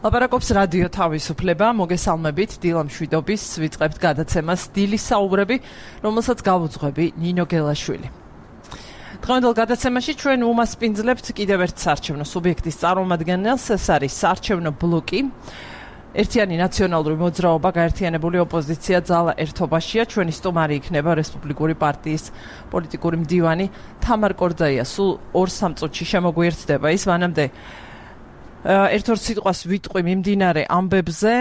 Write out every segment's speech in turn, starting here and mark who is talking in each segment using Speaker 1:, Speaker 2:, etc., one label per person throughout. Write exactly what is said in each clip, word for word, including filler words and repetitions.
Speaker 1: ლაპარაკობს რადიო თავისუფლება, მოგესალმებით, დილა მშვიდობის, ვიწყებთ გადაცემას დილის საუბრები, რომელსაც გავუძღვები ნინო გელაშვილი. დღევანდელ გადაცემაში ჩვენ უმასპინძლებთ კიდევ ერთ საარჩევნო სუბიექტის წარმომადგენელს, ეს არის საარჩევნო ბლოკი. ერთიანი ნაციონალური მოძრაობა, გაერთიანებული ოპოზიცია ძალა ერთობაშია. ჩვენი სტუმარი იქნება რესპუბლიკური პარტიის პოლიტიკური მდივანი თამარ კორძაია. სულ ორ სამ წუთში შემოგვიერთდება ის, მანამდე ერთ-ორ სიტყვას ვიტყვი მიმდინარე ამბებზე,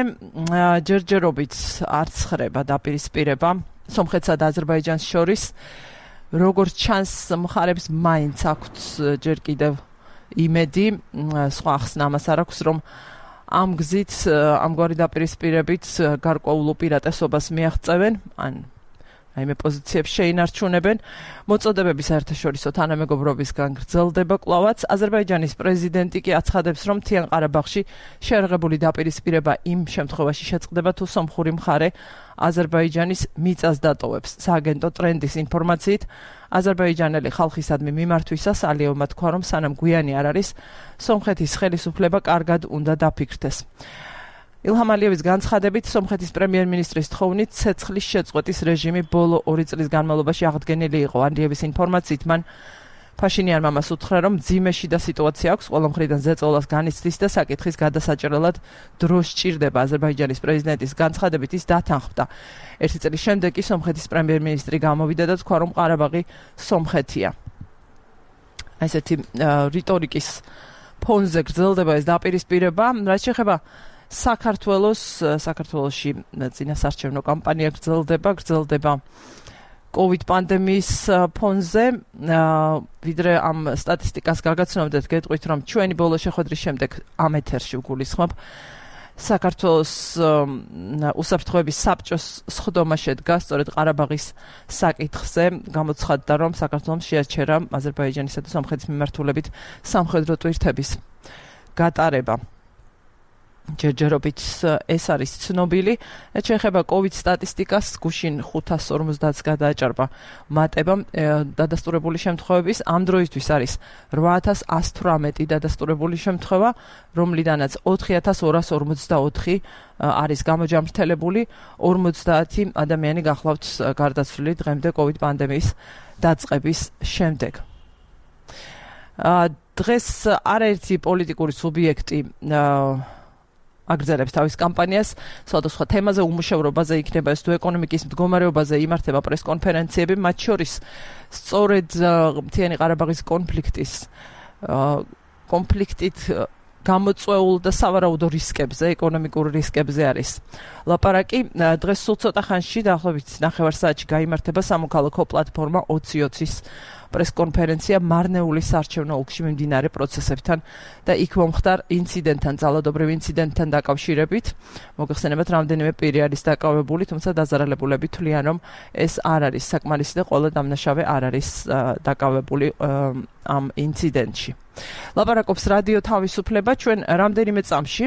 Speaker 1: ჯერჯერობით არც ხრება დაპირისპირება სომხეთსა და აზერბაიჯანს შორის. როგორც ჩანს, მხარებს მაინც აქვთ ჯერ კიდევ იმედი, სხვა ახსნა ამას არ აქვს, რომ ამ გზით, ამგვარი დაპირისპირებით გარკვეულ უპირატესობას მიაღწევენ, ან რაიმე პოზიციებს შეინარჩუნებენ. მოწოდებები საერთაშორისო თანამეგობრობისგან გრძელდება კვლავაც. აზერბაიჯანის პრეზიდენტი კი აცხადებს, რომ მთიან ყარაბაღში შეერაღებული დაპირისპირება იმ შემთხვევაში შეწყდება, თუ სომხური მხარე აზერბაიჯანის მიწას დატოვებს. სააგენტო ტრენდის ინფორმაციით, აზერბაიჯანელი ხალხისადმი მიმართვისას ალიევმა თქვა, რომ სანამ გვიანი არ არის, სომხეთის ხელისუფლება კარგად უნდა დაფიქრდეს. ილჰამ ალიევის განცხადებით, სომხეთის პრემიერ-მინისტრის თხოვნით ცეცხლის შეწყვეტის რეჟიმი ბოლო ორი წლის განმავლობაში აღდგენილი იყო. ალიევის ინფორმაციით, მან ფაშინიანმა მას უთხრა, რომ მძიმე შიდა სიტუაცია აქვს, ყველა მხრიდან ზეწოლას განიცდის და საკითხის გადასაჭრელად დრო სჭირდება. აზერბაიჯანის პრეზიდენტის განცხადებით ის დათანხმდა. ერთი წლის შემდეგ კი სომხეთის პრემიერ-მინისტრი გამოვიდა და თქვა, რომ ყარაბაღი სომხეთია. ესეთი რიტორიკის ფონზე გრძელდება ეს დაპირისპირება, რაც შეეხება საქართველოს, საქართველოში წინასაარჩევნო კამპანია გრძელდება, გრძელდება COVID პანდემიის ფონზე. ვიდრე ამ სტატისტიკას გაგაცნობდეთ, გეტყვით, რომ ჩვენი ბოლო შეხვედრის შემდეგ ამ ეთერში ვგულისხმობ, საქართველოს უსაფრთხოების საბჭოს სხდომა შედგა სწორედ ყარაბაღის საკითხზე. გამოცხადდა, რომ საქართველოს შეაჩერა აზერბაიჯანისა და სომხეთის მიმართულებით სამხედრო ტვირთების გატარება. ჯერჯერობით ეს არის ცნობილი. შეეხება COVID სტატისტიკას, გუშინ ხუთას ორმოცდათს გადააჭარბა მატება დადასტურებული შემთხვევების. ამ დროისთვის არის რვა ათას ასი თვრამეტი დადასტურებული შემთხვევა, რომლიდანაც ოთხი ათას ორას ორმოცდაოთხი არის გამოჯამრთელებული. ორმოცდაათი ადამიანი გახლავთ გარდაცვლილი დღემდე COVID პანდემიის დაწყების შემდეგ. დღეს არაერთი პოლიტიკური სუბიექტი აგრძელებს თავის კამპანიას სხვადასხვა თემაზე, უმუშევრობაზე, იქნება ეს თუ ეკონომიკის მდგომარეობაზე იმართება პრესკონფერენციები, მათ შორის სწორედ მთიანი ყარაბაღის კონფლიქტის კონფლიქტით გამოწვეულ და სავარაუდო რისკებზე, ეკონომიკურ რისკებზე არის ლაპარაკი. დღეს სულ ცოტა ხანში, დაახლოებით ნახევარ საათში გაიმართება სამოქალაქო პლატფორმა ოცი ოცის პრესკონფერენცია მარნეულის საარჩევნო ოლქში მიმდინარე პროცესებთან და იქ მომხდარ ინციდენტთან, ძალადობრივ ინციდენტთან დაკავშირებით. მოგეხსენებათ, რამდენიმე პირი არის დაკავებული, თუმცა დაზარალებულები თვლიან, რომ ეს არ არის საკმარისი და ყველა დამნაშავე არ არის დაკავებული ამ ინციდენტში. ლაპარაკობს რადიო თავისუფლება. ჩვენ რამდენიმე წამში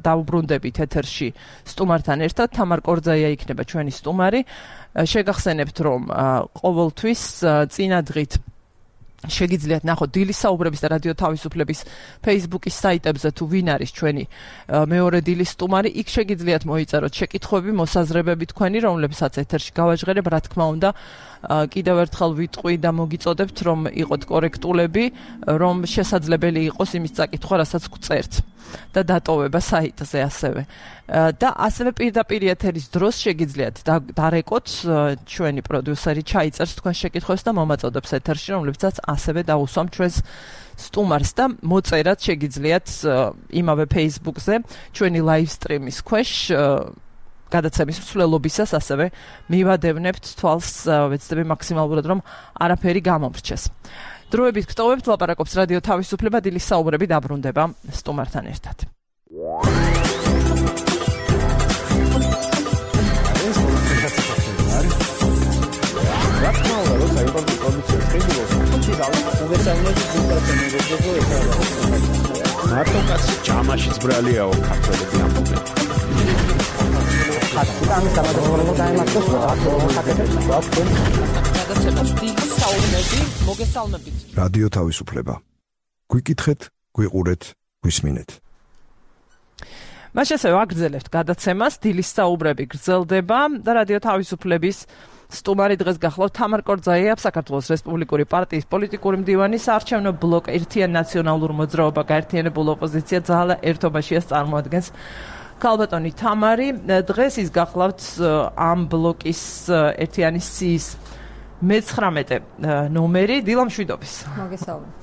Speaker 1: დავუბრუნდებით ეთერში სტუმართან ერთად. თამარ კორძაია იქნება ჩვენი სტუმარი. შეგახსენებთ, რომ ყოველთვის წინადღით შეგიძლიათ ნახოთ დილის საუბრების და რადიო თავისუფლების Facebook-ის საიტებზე, თუ ვინ არის ჩვენი მეორე დილის სტუმარი, იქ შეგიძლიათ მოიწეროთ შეკითხვები, მოსაზრებები თქვენი, რომლებსაც ეთერში გავაჟღერებ. რა თქმა უნდა, კიდევ ერთხელ ვიტყვი და მოგიწოდებთ, რომ იყოთ კორექტულები, რომ შესაძლებელი იყოს იმის წაკითხვა, რასაც გწერთ და დატოვება საიტზე ასევე. და ასევე პირდაპირ ეთერის დროს შეგიძლიათ დარეკოთ, ჩვენი პროდიუსერი ჩაიწერს თქვენ შეკითხვებს და მომაწოდებს ეთერში, რომლებსაც ასევე დაუსვამ ჩვენს სტუმარს და მოწერად შეგიძლიათ იმავე Facebook-ზე ჩვენი live stream-ის ქვეშ გადაცემის მსვლელობისას ასევე მივადევნებთ თვალს, ვეცდები მაქსიმალურად, რომ არაფერი გამომრჩეს. დროებით გტოვებთ, ლაპარაკობს რადიო თავისუფლება, დილის საუბრები დაბრუნდება სტუმართან ერთად.
Speaker 2: მარტო კაცი ჯამაშიც ბრალიაო ქართველები ამბობენ.
Speaker 3: ამის გამარჯვება დაემართოს
Speaker 1: გადაცემას დილის საუბრები, მოგესალმებით.
Speaker 4: რადიო თავისუფლება. გვიკითხეთ, გვიყურეთ, გვისმინეთ.
Speaker 1: მაშინ ასევე აგრძელებთ გადაცემას, დილის საუბრები გრძელდება და რადიო თავისუფლების სტუმარი დღეს გახლავთ თამარ კორძაია, საქართველოს რესპუბლიკური პარტიის პოლიტიკური მდივანი, საარჩევნო ბლოკ ერთიან ნაციონალურ მოძრაობა გაერთიანებულ ოპოზიცია ძალა ერთობაშიას წარმოადგენს ქალბატონი თამარი. დღეს ის გახლავთ ამ ბლოკის ერთიანი სიის მეცხრამეტე ნომერი. დილა მშვიდობის.
Speaker 4: მოგესალმებით.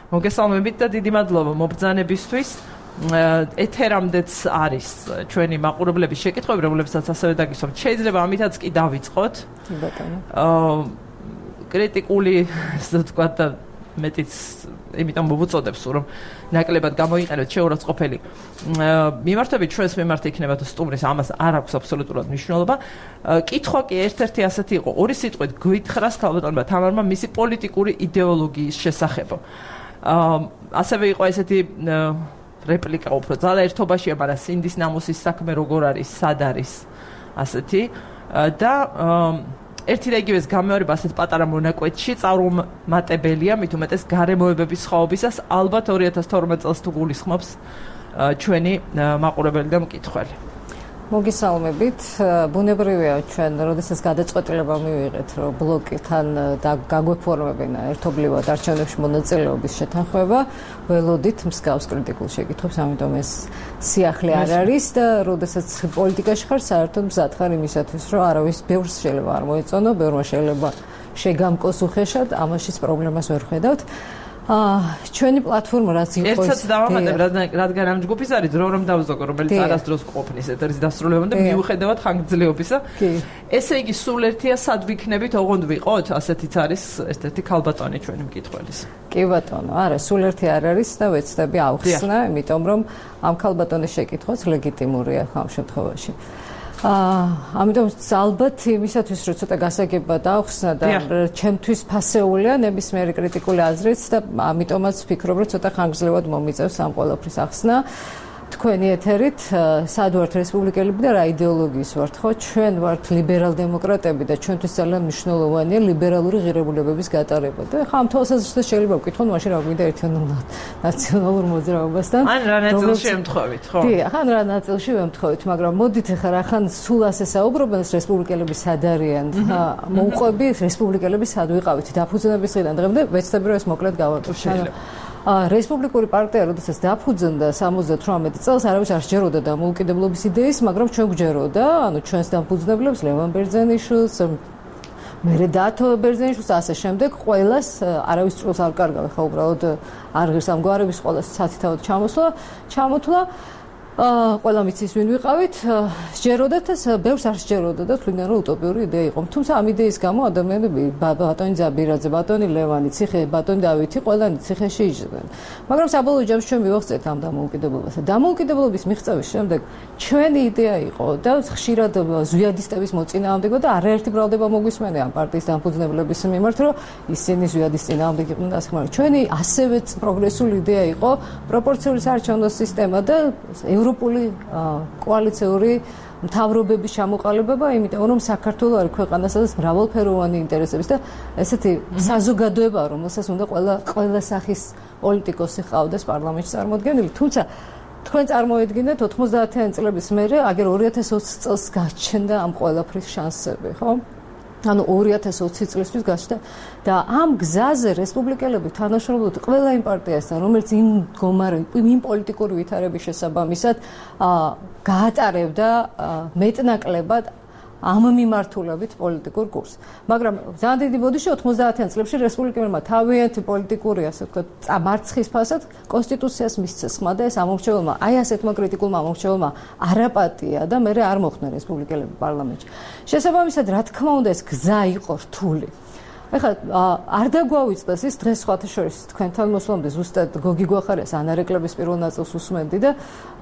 Speaker 1: მოგესალმებით და დიდი მადლობა მობრძანებისთვის. ეთერამდეც არის ჩვენი მაყურებლების შეკითხვები, რომლებსაც ასევე დაგისვამთ. შეიძლება ამითაც კი დავიწყოთ.
Speaker 4: კი ბატონო.
Speaker 1: აა კრიტიკული, ასე ვთქვათ, და მეტიც იმიტომ მოვუწოდებს, რომ ნაკლებად გამოიყენოთ შეურაცხყოფელი მიმართები ჩვენს მიმართ იქნება თუ სტუმრის, ამას არ აქვს აბსოლუტურად მნიშვნელობა. კითხვა კი ერთ-ერთი ასეთი იყო, ორი სიტყვით გვითხრას ქალბატონმა თამარმა მისი პოლიტიკური იდეოლოგიის შესახებო. აა ასევე იყო ესეთი რეპლიკა უფრო ძალა ერთობაშია, მაგრამ სინდის ნამუსის საქმე როგორ არის, სად არის ასეთი და ერთი და იგივეს გამეორება ასეთ პატარა მონაკვეთში წარუმატებელია, მით უმეტეს გარემოებების სხვაობისას, ალბათ ორი ათას თორმეტ წელს თუ გულისხმობს ჩვენი მაყურებელი და მკითხველი.
Speaker 4: მოგესალმებით. ბუნებრივია ჩვენ, როდესაც გადაწყვეტილება მივიღეთ, რომ ბლოკთან გაგვეფორმებინა ერთობლივად არჩევნებში მონაწილეობის შეთანხმება, ველოდით მსგავს კრიტიკულ შეკითხვებს, ამიტომ ეს სიახლე არ არის და როდესაც პოლიტიკაში ხარ, საერთოდ მზად ხარ იმისათვის, რომ არავის ბევრს შეიძლება არ მოეწონო, ბევრმა შეიძლება შეგამკოს უხეშად, ამაშიც პრობლემას ვერ ხედავთ. აა ჩვენი პლატფორმა რაც იყო
Speaker 1: ერთსაც დავამატებ, რადგან ამ ჯგუფის არის დრო რომ დავზოგო, რომელიც არასდროს ყოფნის ეთერის დასრულებამდე და მიუხედავად ხანგრძლივობისა. ესე იგი სულ ერთია სად ვიქნებით, ოღონდ ვიყოთ, ასეთიც არის ერთ-ერთი ქალბატონი ჩვენი მკითხველის.
Speaker 4: კი ბატონო, არა, სულ ერთი არ არის და ვეცდები ავხსნა, იმიტომ რომ ამ ქალბატონის შეკითხვაც ლეგიტიმურია ამ შემთხვევაში. აა ამიტომ ალბათ იმისათვის რომ ცოტა გასაგება დავხსნა და ჩემთვის ფასეულია ნებისმიერი კრიტიკული აზრიც და ამიტომაც ვფიქრობ რომ ცოტა ხანგრძლივად მომიწევს ამ ყველაფრის ახსნა. თქვენი ეთერით სად ვართ რესპუბლიკელები და რა იდეოლოგიის ვართ, ხო? ჩვენ ვართ ლიბერალ-დემოკრატები და ჩვენთვის ძალიან მნიშვნელოვანია ლიბერალური ღირებულებების გატარება. და ხა ამ თვალსაზრისით შეიძლება ვკითხოთ, მაშინ რა გვინდა ერთიან ნაციონალურ მოძრაობასთან.
Speaker 1: ან რა ნაწილში ემთხოვით, ხო?
Speaker 4: კი, ახან რა ნაწილში ვემთხოვით, მაგრამ მოდით ახლა რახან სულ ასე საუბრობენ რესპუბლიკელები სად არიან? მოუყვები რესპუბლიკელები სად ვიყავით დაფუძნების დღიდან დღემდე, ვეცდები რომ ეს მოკლედ გავაკეთოთ. რესპუბლიკური პარტია, როდესაც დაფუძნდა სამოცდათვრამეტ წელს, არავის არ სჯეროდა დამოუკიდებლობის იდეის, მაგრამ ჩვენ გვჯეროდა, ანუ ჩვენს დამფუძნებლებს, ლევან ბერძენიშვილს, მერე დათო ბერძენიშვილს, ასე შემდეგ, ყველას არავის წულს არ კარგავ, ხა უბრალოდ არ ღირს ამ გვარების ყველას სათითაოდ ჩამოსვლა, ჩამოთვლა. აა ყველა მიცის ვინ ვიყავით, სჯეროდათ და ბევრს არ სჯეროდა და თვლიდან რომ უტოპიური იდეა იყო. თუმცა ამ იდეის გამო ადამიანები ბატონი ზაბირაძე, ბატონი ლევანი, ციხე, ბატონი დავითი ყველანი ციხეში იჯდნენ. მაგრამ საბოლოო ჯამში ჩვენ მივახცეთ ამ დამოუკიდებლობას. დამოუკიდებლობის მიღწევის შემდეგ ჩვენი იდეა იყო და ხშირად ზვიადისტების მოწინააღმდეგო და არაერთი ბრალდება მოგვისმენია ამ პარტიის დამფუძნებლების მიმართ, რომ ისინი ზვიადის წინააღმდეგ იყვნენ და ასე მაგრამ ჩვენი ასევე პროგრესული იდეა იყო პროპორციული საარჩევნო სისტემა და ევროპული კოალიციური მთავრობების ჩამოყალიბება, იმიტომ რომ საქართველოს არის ქვეყანა, სადაც მრავალფეროვანი ინტერესების და ესეთი საზოგადოება, რომელსაც უნდა ყველა ყველა სახის პოლიტიკოსი ყავდეს პარლამენტში წარმოდგენილი. თუმცა თქვენ წარმოედგინეთ ოთხმოცდაათიანი წლების მერე, აგერ ორი ათას ოცი წელს გაჩნდა ამ ყველაფრის შანსები, ხო? ანუ ორი ათას ოცი წლისთვის გაჩნდა და ამ გზაზე რესპუბლიკელები თანამშრომლობდნენ ყველა იმ პარტიასთან, რომელიც იმ მდგომარე, იმ პოლიტიკური ვითარების შესაბამისად გაატარებდა მეტნაკლებად ამ მიმართულებით პოლიტიკურ კურსს. მაგრამ ძალიან დიდი ბოდიში ოთხმოცდაათიან წლებში რესპუბლიკელებმა თავიანთი პოლიტიკური, ასე ვთქვათ, მარცხის ფასად კონსტიტუციას მისცეს ხმა და ეს ამორჩეველმა, აი ასეთმა კრიტიკულმა ამორჩეველმა არაპატია და მე არ მოხდნენ რესპუბლიკელები პარლამენტში. შესაბამისად, რა თქმა უნდა, ეს გზა იყო რთული. ეხლა არ დაგვავიწყდეს ის დღეს სხვათა შორის თქვენთან მოსვლამდე ზუსტად გოგი გვახარიას ანარეკლების პირველ ნაწილს უსმენდი და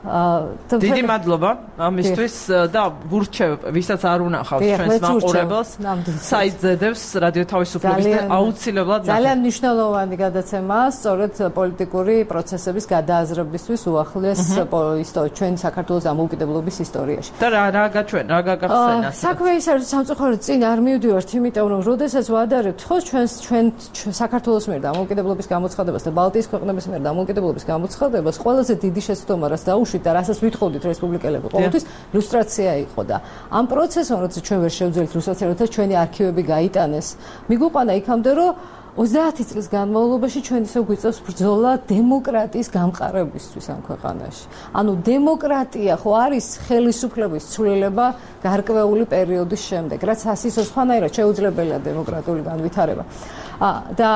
Speaker 1: დიდი მადლობა ამისთვის და ვურჩევ ვისაც არ უნახავს ჩვენს მაყურებელს საიტზე დევს რადიო თავისუფლების და აუცილებლად
Speaker 4: ძალიან მნიშვნელოვანი გადაცემაა სწორედ პოლიტიკური პროცესების გადააზრებისთვის უახლეს ჩვენი საქართველოს დამოუკიდებლობის ისტორიაში
Speaker 1: და რა რა გაჩვენ რა გაგახსენა
Speaker 4: საქმე ის არის სამწუხაროდ წინ არ მივდივართ იმიტომ რომ როდესაც ვადარებთ ხო ჩვენ ჩვენ საქართველოს მიერ დამოუკიდებლობის გამოცხადებას და ბალტიის ქვეყნების მიერ დამოუკიდებლობის გამოცხადებას ყველაზე დიდი შეცდომა რაც დაუშვა ნახვით და რასაც ვითხოვდით რესპუბლიკელები ყოველთვის ლუსტრაცია იყო და ამ პროცესში როცა ჩვენ ვერ შევძლებთ ლუსტრაცია, როცა ჩვენი არქივები გაიტანეს, მიგვიყვანა იქამდე რომ ოცდაათი წლის განმავლობაში ჩვენ ისე გვიწევს ბრძოლა დემოკრატიის გამყარებისთვის ამ ქვეყანაში. ანუ დემოკრატია ხო არის ხელისუფლების ცვლილება გარკვეული პერიოდის შემდეგ, რაც ასისოს ხანაირად შეუძლებელია დემოკრატიული განვითარება. და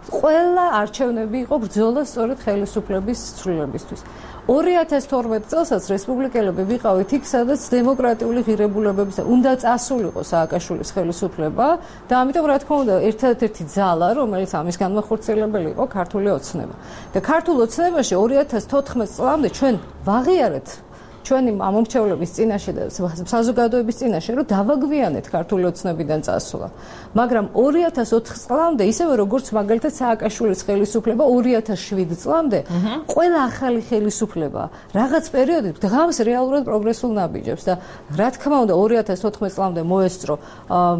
Speaker 4: ყველა არჩევნები იყო ბრძოლა სწორედ ხელისუფლების ცვლილებისთვის. ორი ათას თორმეტ წელსაც რესპუბლიკელები ვიყავით იქ, სადაც დემოკრატიული ღირებულებების და უნდა წასულიყო სააკაშვილის ხელისუფლება და ამიტომ რა თქმა უნდა ერთადერთი ძალა, რომელიც ამის განმახორციელებელი იყო, ქართული ოცნება. და ქართულ ოცნებაში ორი ათას თოთხმეტ წლამდე ჩვენ ვაღიარეთ ჩვენი ამომრჩევლების წინაშე და საზოგადოების წინაშე რომ დავაგვიანეთ ქართული ოცნებიდან წასვლა. მაგრამ ორი ათას ოთხ წლამდე ისევე როგორც მაგალითად სააკაშვილის ხელისუფლება ორი ათას შვიდ წლამდე ყველა ახალი ხელისუფლება რაღაც პერიოდით დღამს რეალურად პროგრესულ ნაბიჯებს და რა თქმა უნდა ორი ათას თოთხმეტ წლამდე მოესწრო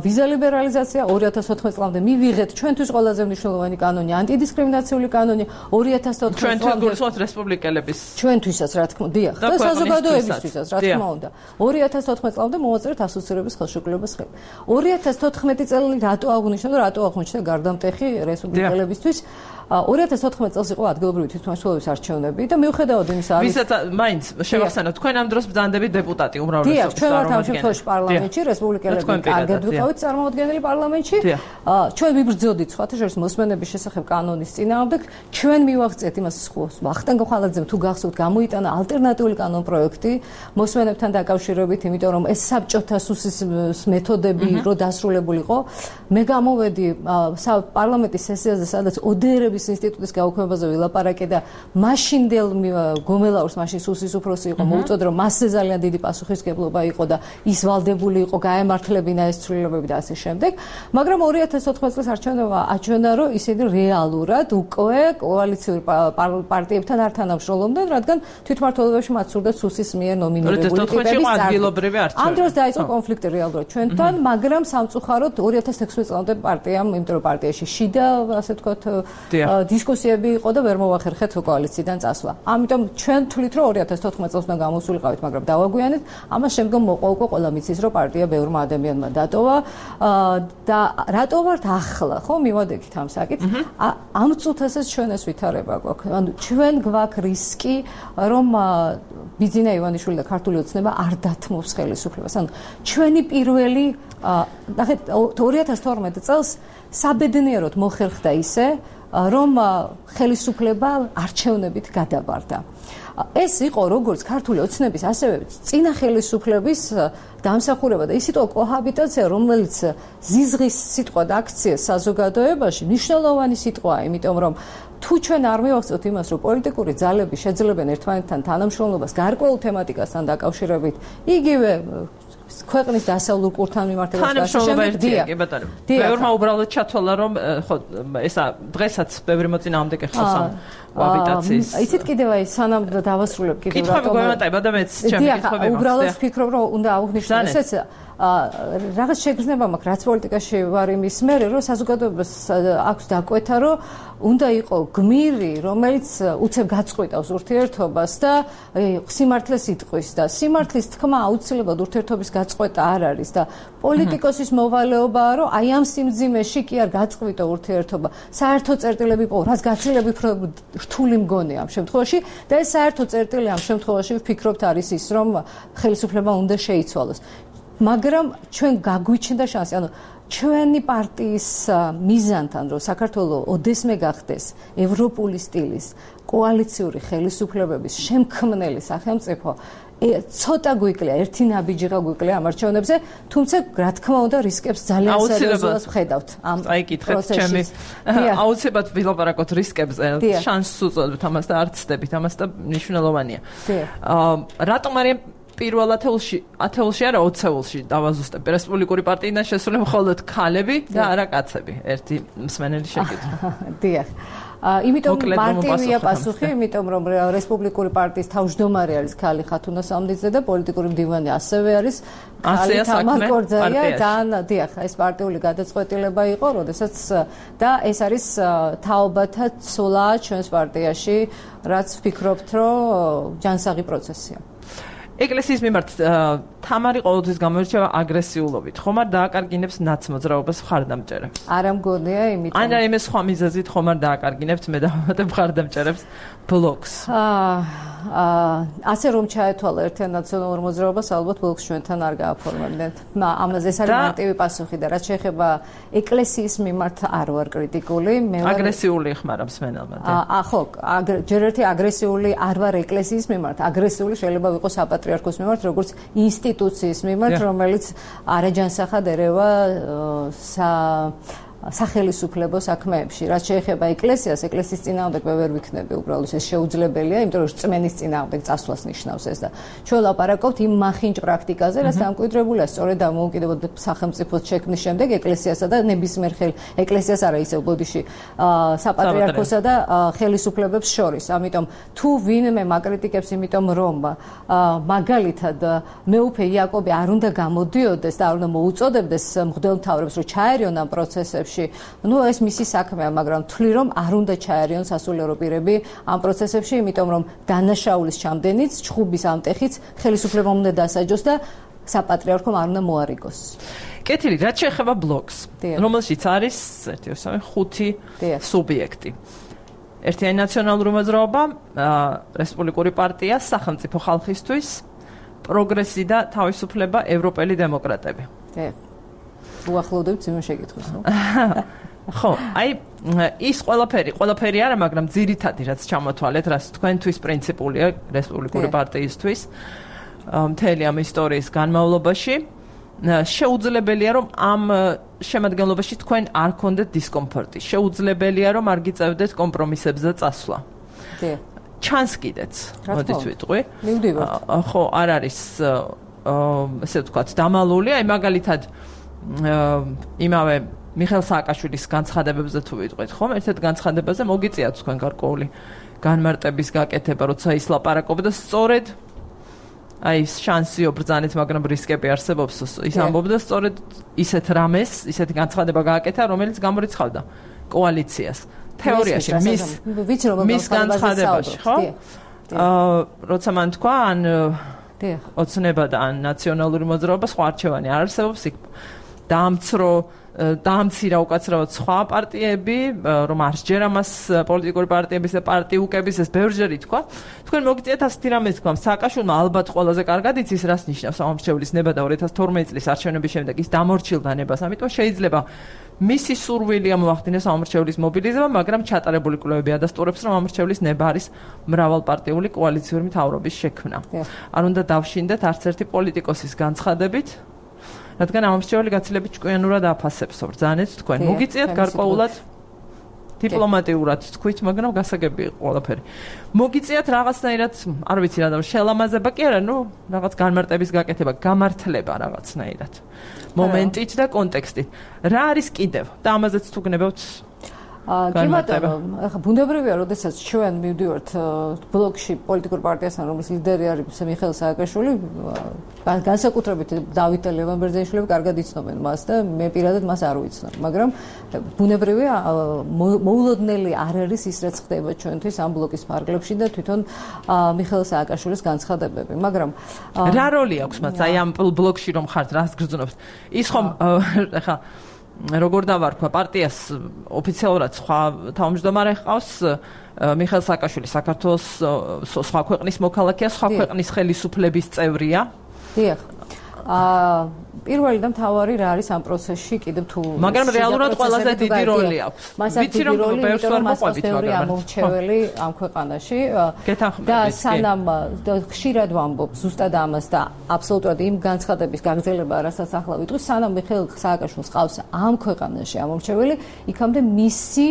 Speaker 4: ვიზა ლიბერალიზაცია, ორი ათას თოთხმეტ წლამდე მივიღეთ ჩვენთვის ყველაზე მნიშვნელოვანი კანონი ანტიდისკრიმინაციული კანონი, ორი ათას თოთხმეტ წლამდე
Speaker 1: ჩვენთვის რესპუბლიკელების
Speaker 4: ჩვენთვისაც რა თქმა უნდა დიახ და საზოგადოებისთვისაც რა თქმა უნდა ორი ათას თოთხმეტ წლამდე მოვაწერეთ ასოცირების ხელშეკრულების ხელი. ორი ათას თოთხმეტი წელი რატო აღნიშნა და რატო აღმოჩნდა გარდამტეხი რესპუბლიკელებისთვის? ორი ათას თოთხმეტ წელს იყო ადგილობრივი თვითმმართველობის არჩევნები და მიუხედავად იმისა, არის
Speaker 1: ვისაც მაინც შევახსენოთ, თქვენ ამ დროს ბრძანდებით დეპუტატი უმრავლესობის
Speaker 4: ჩვენ ვართ ამ შემთხვევაში პარლამენტში, რესპუბლიკელები კარგად ვიყავით წარმოადგენელი პარლამენტში. ჩვენ ვიბრძოდით სხვათა შორის მოსმენების შესახებ კანონის წინააღმდეგ, ჩვენ მივაღწიეთ იმას ვახტანგ ხალაძემ თუ გახსოვთ გამოიტანა ალტერნატიული კანონ პროექტი მოსმენებთან დაკავშირებით, იმიტომ რომ ეს საბჭოთა სუსის მეთოდები რო დასრულებულიყო. მე გამოვედი პარლამენტის სესიაზე, სადაც ოდერები ინსტიტუტის გაუქმებაზე ვილაპარაკე და მაშინდელ გომელაურს მაშინ სუსის უფროსი იყო მოუწოდა რომ მასზე ძალიან დიდი პასუხისმგებლობა იყო და ის ვალდებული იყო გაემართლებინა ეს ცვლილებები და ასე შემდეგ. მაგრამ ორი ათას თოთხმეტ წლის არჩევნებმა აჩვენა რომ ისინი რეალურად უკვე კოალიციური პარტიებთან არ თანამშრომლობდნენ, რადგან თვითმმართველობაში მათ სურდა სუსის მიერ ნომინირებული ტიპების
Speaker 1: ადგილობრივი არჩევნები.
Speaker 4: ამ დროს დაიწყო კონფლიქტი რეალურად ჩვენთან, მაგრამ სამწუხაროდ ორი ათას ექვსმეტ წლამდე პარტიამ, იმიტომ რომ პარტიაში შიდა ასე ვთქვათ დისკუსიები იყო და ვერ მოვახერხეთ კოალიციიდან წასვლა. ამიტომ ჩვენ თვლით რომ ორი ათას თოთხმეტ წელს უნდა გამოსულიყავით, მაგრამ დავაგვიანეთ. ამას შემდგომ მოყვა უკვე ყველა მიცის რომ პარტია ბევრმა ადამიანმა დატოვა და რატო ვართ ახლა, ხო, მივადექით ამ საკითხს. ამ წუთასაც ჩვენ ეს ვითარება გვაქვს. ანუ ჩვენ გვაქვს რისკი რომ ბიძინა ივანიშვილი და ქართული ოცნება არ დათმობს ხელისუფლებას. ანუ ჩვენი პირველი ნახეთ ორი ათას თორმეტ წელს საბედნიეროდ მოხერხდა ისე რომ ხელისუფლება არჩევნებით გადაბარდა. ეს იყო როგორც ქართული ოცნების, ასევე წინა ხელისუფლების დამსახურება და ის იყო კოჰაბიტაცია, რომელიც ზიზღის სიტყვა და აქცია საზოგადოებაში მნიშვნელოვანი სიტყვაა, იმიტომ რომ თუ ჩვენ არ მივახცევთ იმას, რომ პოლიტიკური ძალები შეძლებენ ერთმანეთთან თანამშრომლობას გარკვეულ თემატიკასთან დაკავშირებით, იგივე ქვეყნის დასავლურ კურთან მიმართებაში
Speaker 1: შემდგდია, კი ბატონო. ბევრმა უბრალოდ ჩათვალა, რომ ხო ესა დღესაც ბევრი მოწინააღმდეგე ხავს ამ კოაბიტაციის.
Speaker 4: იცით კიდევ აი სანამ დავასრულებ კიდევ
Speaker 1: რატომ კითხები გვემატება და მეც ჩემი კითხები მაქვს.
Speaker 4: უბრალოდ ვფიქრობ, რომ უნდა აღვნიშნო ესეც რაღაც შეგრძნება მაქვს, რაც პოლიტიკაში ვარ იმის მერე, რომ საზოგადოებას აქვს დაკვეთა, რომ უნდა იყო გმირი, რომელიც უცებ გაწყვეტავს ურთიერთობას და სიმართლეს იტყვის და სიმართლის თქმა აუცილებლად ურთიერთობის გაწყვეტა არ არის და პოლიტიკოსის მოვალეობაა, რომ აი ამ სიმძიმეში კი არ გაწყვიტო ურთიერთობა. საერთო წერტილები პო, რაც გაცილებით რთული მგონია ამ შემთხვევაში და ეს საერთო წერტილი ამ შემთხვევაში ვფიქრობთ არის ის, რომ ხელისუფლება უნდა შეიცვალოს. მაგრამ ჩვენ გაგვიჩნდა შანსი, ანუ ჩვენი პარტიის მიზანთან, რომ საქართველოს ოდესმე გახდეს ევროპული სტილის კოალიციური ხელისუფლებების შემქმნელი სახელმწიფო, ცოტა გვიკლია, ერთი ნაბიჯიღა გვიკლია ამ არჩევნებზე, თუმცა რა თქმა უნდა რისკებს ძალიან სერიოზულად ვხედავთ ამ
Speaker 1: აი კითხეთ ჩემი აუცილებლად ვილაპარაკოთ რისკებზე, შანსს უწოდოთ ამას და არ ცდებით ამას და მნიშვნელოვანია. რატომ არის პირველ ათეულში, ათეულში არა ოცეულში დავაზუსტებ. რესპუბლიკური პარტიიდან შესული მხოლოდ ქალები და არა კაცები. ერთი მსმენელი შეკითხვა.
Speaker 4: დიახ. იმიტომ მარტივია პასუხი, იმიტომ რომ რესპუბლიკური პარტიის თავმჯდომარე არის ქალი ხათუნა სამდიძე და პოლიტიკური მდივანი ასევე არის ქალი თამარ-კორძაია. ძალიან დიახ, ეს პარტიული გადაწყვეტილება იყო, როდესაც და ეს არის თაობათა ცვლა ჩვენს პარტიაში, რაც ვფიქრობთ, რომ ჯანსაღი პროცესია.
Speaker 1: ეკლესიის მიმართ თამარი ყოველთვის გამოირჩევა აგრესიულობით. ხომ არ დააკარგინებს ნაცმოძრაობას მხარდამჭერებს?
Speaker 4: არა მგონია, იმიტომ
Speaker 1: ან რაიმე სხვა მიზეზით ხომ არ დააკარგინებთ მე დავამატებ მხარდამჭერებს ბლოკს?
Speaker 4: აა ასე რომ ჩაეთვალა ერთიან ნაციონალურ მოძრაობას, ალბათ ბლოკს ჩვენთან არ გააფორმებდნენ. ამაზე ეს არის მარტივი პასუხი და რაც შეეხება ეკლესიის მიმართ არ ვარ კრიტიკული, მე ვარ
Speaker 1: აგრესიული ხმარობს მენელმა.
Speaker 4: აა ხო, ჯერ ერთი აგრესიული არ ვარ ეკლესიის მიმართ, აგრესიული შეიძლება ვიყოს საპატრიარქოს მიმართ, როგორც ინსტიტუციის მიმართ, რომელიც არაჯანსაღად ერევა სა სახელისუფლებო საქმეებში. რაც შეეხება ეკლესიას, ეკლესიის წინააღმდეგ მე ვერ ვიქნები, უბრალოდ ეს შეუძლებელია, იმიტომ რომ რწმენის წინააღმდეგ წასვლას ნიშნავს ეს და ჩვენ ლაპარაკობთ იმ მახინჯ პრაქტიკაზე, რაც დამკვიდრებულია სწორედ დამოუკიდებელ სახელმწიფოს შექმნის შემდეგ ეკლესიასა და ნებისმიერ ხელ ეკლესიას არა ისევ ბოდიში საპატრიარქოსა და ხელისუფლებებს შორის. ამიტომ თუ ვინმე მაკრიტიკებს, იმიტომ რომ მაგალითად მეუფე იაკობი არ უნდა გამოდიოდეს და არ უნდა მოუწოდებდეს მღვდელმთავრებს, რომ ჩაერიონ ამ პროცესებში. ნუ ეს მისი საქმეა, მაგრამ თვლი რომ არ უნდა ჩაერიონ სასულიერო პირები ამ პროცესებში, იმიტომ რომ დანაშაულის ჩამდენიც, ჩხუბის ამტეხიც ხელისუფლებამ უნდა დასაჯოს და საპატრიარქომ არ უნდა მოარიგოს.
Speaker 1: კეთილი, რაც შეეხება ბლოკს, რომელშიც არის ერთი, ორი, ხუთი სუბიექტი. ერთიანი ნაციონალური მოძრაობა, რესპუბლიკური პარტია, სახელმწიფო ხალხისთვის, პროგრესი და თავისუფლება, ევროპელი დემოკრატები.
Speaker 4: უახლოვდებთ იმ შეკითხვას, ხო?
Speaker 1: ხო, აი ის ყველაფერი, ყველაფერი არა, მაგრამ ძირითადი რაც ჩამოთვალეთ, რაც თქვენთვის პრინციპულია რესპუბლიკური პარტიისთვის, მთელი ამ ისტორიის განმავლობაში, შეუძლებელია რომ ამ შემადგენლობაში თქვენ არ გქონდეთ დისკომფორტი. შეუძლებელია რომ არ გიწევდეთ კომპრომისებზე წასვლა.
Speaker 4: დიახ.
Speaker 1: ჩანს კიდეც, მოდით ვიტყვი.
Speaker 4: მივდივართ.
Speaker 1: ხო, არ არის ესე ვთქვათ, დამალული, აი მაგალითად იმავე მიხეილ სააკაშვილის განცხადებებზე თუ ვიტყვით, ხომ? ერთ-ერთ განცხადებაზე მოგიწიათ თქვენ გარკვეული განმარტების გაკეთება, როცა ის ლაპარაკობდა სწორედ აი ეს შანსიო ბრძანეთ, მაგრამ რისკები არსებობს, ის ამბობდა სწორედ ისეთ რამეს, ისეთი განცხადება გააკეთა, რომელიც გამორიცხავდა კოალიციას. თეორიაში მის მის განცხადებაში, ხო? აა როცა მან თქვა, ან ოცნება და ან ნაციონალური მოძრაობა სხვა არჩევანი არ არსებობს, იქ დაამცრო დაამცირა უკაცრავად სხვა პარტიები, რომ არ სჯერ ამას პოლიტიკური პარტიების და პარტიუკების ეს ბევრჯერ ითქვა. თქვენ მოგიწიათ ასეთი რამე თქვა, სააკაშვილმა ალბათ ყველაზე კარგად იცის, რას ნიშნავს ამორჩევლის ნება და ორი ათას თორმეტი წლის არჩევნების შემდეგ ის დამორჩილდა ნებას, ამიტომ შეიძლება მისი სურვილია მოახდინოს ამორჩევლის მობილიზება, მაგრამ ჩატარებული კვლევები ადასტურებს, რომ ამორჩევლის ნება არის მრავალპარტიული კოალიციური მთავრობის შექმნა. არ უნდა დავშინდეთ არც ერთი პოლიტიკოსის განცხადებით, რადგან ამორჩეველი გაცილებით ჭკვიანურად აფასებს, ბრძანეთ თქვენ. მოგიწიათ გარკვეულად დიპლომატიურად თქვით, მაგრამ გასაგები იყო ყველაფერი. მოგიწიათ რაღაცნაირად, არ ვიცი რა და შელამაზება კი არა, ნუ რაღაც განმარტების გაკეთება, გამართლება რაღაცნაირად. მომენტით და კონტექსტით. რა არის კიდევ? და ამაზეც თუ გნებავთ
Speaker 4: კი ბატონო, ახლა ბუნებრივია, როდესაც ჩვენ მივდივართ ბლოკში პოლიტიკურ პარტიასთან, რომლის ლიდერი არის მიხეილ სააკაშვილი, განსაკუთრებით დავით ლევან-ბერძენიშვილი კარგად იცნობენ მას და მე პირადად მას არ ვიცნობ, მაგრამ ბუნებრივია, მოულოდნელი არ არის ის, რაც ხდება ჩვენთვის ამ ბლოკის ფარგლებში და თვითონ მიხეილ სააკაშვილის განცხადებები, მაგრამ
Speaker 1: რა როლი აქვს მას აი ამ ბლოკში რომ ხართ, რას გრძნობთ? ის ხომ ახლა როგორ დავარქვა პარტიას ოფიციალურად სხვა თავმჯდომარე ჰყავს მიხეილ სააკაშვილი საქართველოს სხვა ქვეყნის მოქალაქეა, სხვა ქვეყნის ხელისუფლების წევრია.
Speaker 4: დიახ. აა პირველი და მთავარი რა არის ამ პროცესში კიდევ თუ
Speaker 1: მაგრამ რეალურად ყველაზე დიდი როლი აქვს.
Speaker 4: ვიცი რომ ბევრს ვერ მოყვებით, მაგრამ ამორჩეველი ამ ქვეყანაში და სანამ ხშირად ვამბობ ზუსტად ამას და აბსოლუტურად იმ განცხადების გაგრძელება, რასაც ახლა ვიტყვი, სანამ მიხეილ სააკაშვილს ყავს ამ ქვეყანაში ამორჩეველი, იქამდე მისი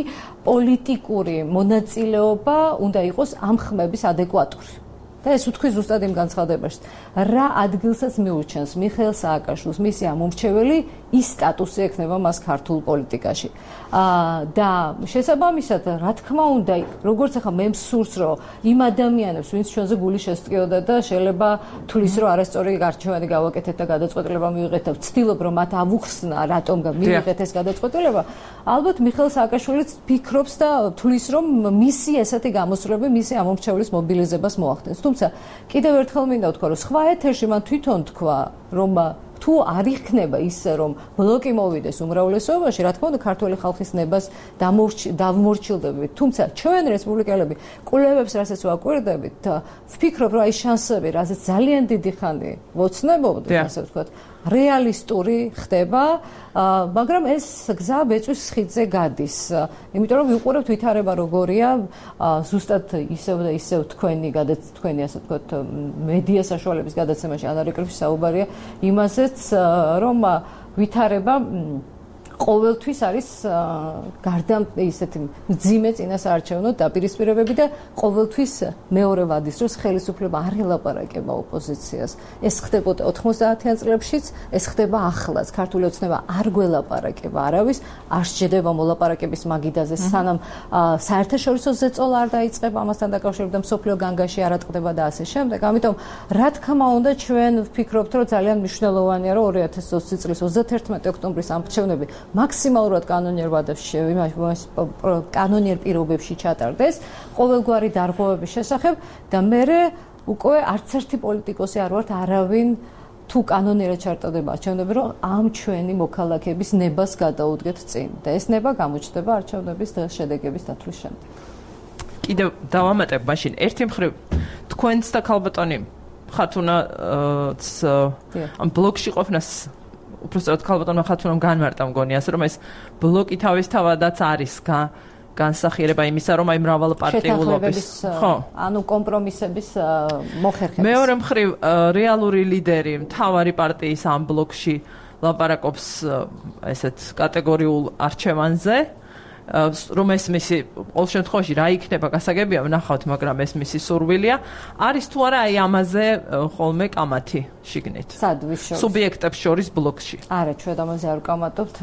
Speaker 4: პოლიტიკური მონაწილეობა უნდა იყოს ამ ხმების ადეკვატური. და ეს უთქვი ზუსტად იმ განცხადებაში. რა ადგილსაც მიურჩენს მიხეილ სააკაშვილს მისი ამორჩეველი ის სტატუსი ექნება მას ქართულ პოლიტიკაში. და შესაბამისად, რა თქმა უნდა, როგორც ახლა მე მსურს, რომ იმ ადამიანებს, ვინც ჩვენზე გული შესტკიოდა და შეიძლება თulis რომ არასწორი გარჩევანი გავაკეთეთ და გადაწყვეტილება მივიღეთ და ვცდილობ რომ მათ ავუხსნა, რატომ მივიღეთ ეს გადაწყვეტილება, ალბათ მიხეილ სააკაშვილიც ფიქრობს და თulis რომ მისი ესეთი გამოსვლები, მისი ამომრჩევლის მობილიზებას მოახდენს. თუმცა კიდევ ერთხელ მინდა ვთქვა, რომ სხვა ეთერში მან თვითონ თქვა, რომ თუ არ იქნება ისე რომ ბლოკი მოვიდეს უმრავლესობაში, რა თქმა უნდა ქართული ხალხის ნებას დავმორჩილდებით. თუმცა ჩვენ რესპუბლიკელები კვლევებს რასაც ვაკვირდებით, ვფიქრობ რომ აი შანსები, რასაც ძალიან დიდი ხანი ვოცნებობთ, ასე ვთქვათ, რეალისტური ხდება, მაგრამ ეს გზა ბეწვის ხიდზე გადის. იმიტომ რომ ვიყურებთ ვითარება როგორია, ზუსტად ისევ და ისევ თქვენი თქვენი ასე ვთქვათ მედია საშუალების გადაცემაში ანარეკრიფში საუბარია იმაზეც, რომ ვითარება ყოველთვის არის გარდა ისეთი მძიმე წინასაარჩევნო დაპირისპირებები და ყოველთვის მეორე ვადის დროს ხელისუფლება არ ელაპარაკება ოპოზიციას. ეს ხდებოდა ოთხმოცდაათიან წლებშიც, ეს ხდება ახლაც. ქართული ოცნება არ გველაპარაკება არავის, არ სჯდება მოლაპარაკების მაგიდაზე, სანამ საერთაშორისო ზეწოლა არ დაიწყება ამასთან დაკავშირებით და მსოფლიო განგაში არ ატყდება და ასე შემდეგ. ამიტომ რა თქმა უნდა ჩვენ ვფიქრობთ, რომ ძალიან მნიშვნელოვანია, რომ ორი ათას ოცი წლის ოცდაათერთმეტი ოქტომბრის ამრჩევნები მაქსიმალურად კანონიერ ვადებში, კანონიერ პირობებში ჩატარდეს ყოველგვარი დარღვევების შესახებ და მე უკვე არც ერთი პოლიტიკოსი არ ვართ არავინ თუ კანონიერად ჩატარდება არჩევნები, რომ ამ ჩვენი მოქალაქეების ნებას გადაუდგეთ წინ და ეს ნება გამოჩნდება არჩევნების შედეგების დათვლის შემდეგ.
Speaker 1: კიდევ დავამატებ მაშინ ერთი მხრივ თქვენც და ქალბატონი ხათუნაც ამ ბლოკში ყოფნას უბრალოდ ქალბატონმა ხათუნამ განმარტა მგონი, ასე რომ ეს ბლოკი თავისთავადაც არის განსახიერება იმისა, რომ აი მრავალპარტიულობის,
Speaker 4: ხო, ანუ კომპრომისების მოხერხების.
Speaker 1: მეორე მხრივ რეალური ლიდერი მთავარი პარტიის ამ ბლოკში ლაპარაკობს ესეთ კატეგორიულ არჩევანზე, რომ ეს მისი ყოველ შემთხვევაში რა იქნება გასაგებია ვნახავთ, მაგრამ ეს მისი სურვილია. არის თუ არა აი ამაზე ხოლმე კამათი შიგნით?
Speaker 4: სადვის შორის?
Speaker 1: სუბიექტებს შორის ბლოკში.
Speaker 4: არა, ჩვენ ამაზე არ ვკამათობთ.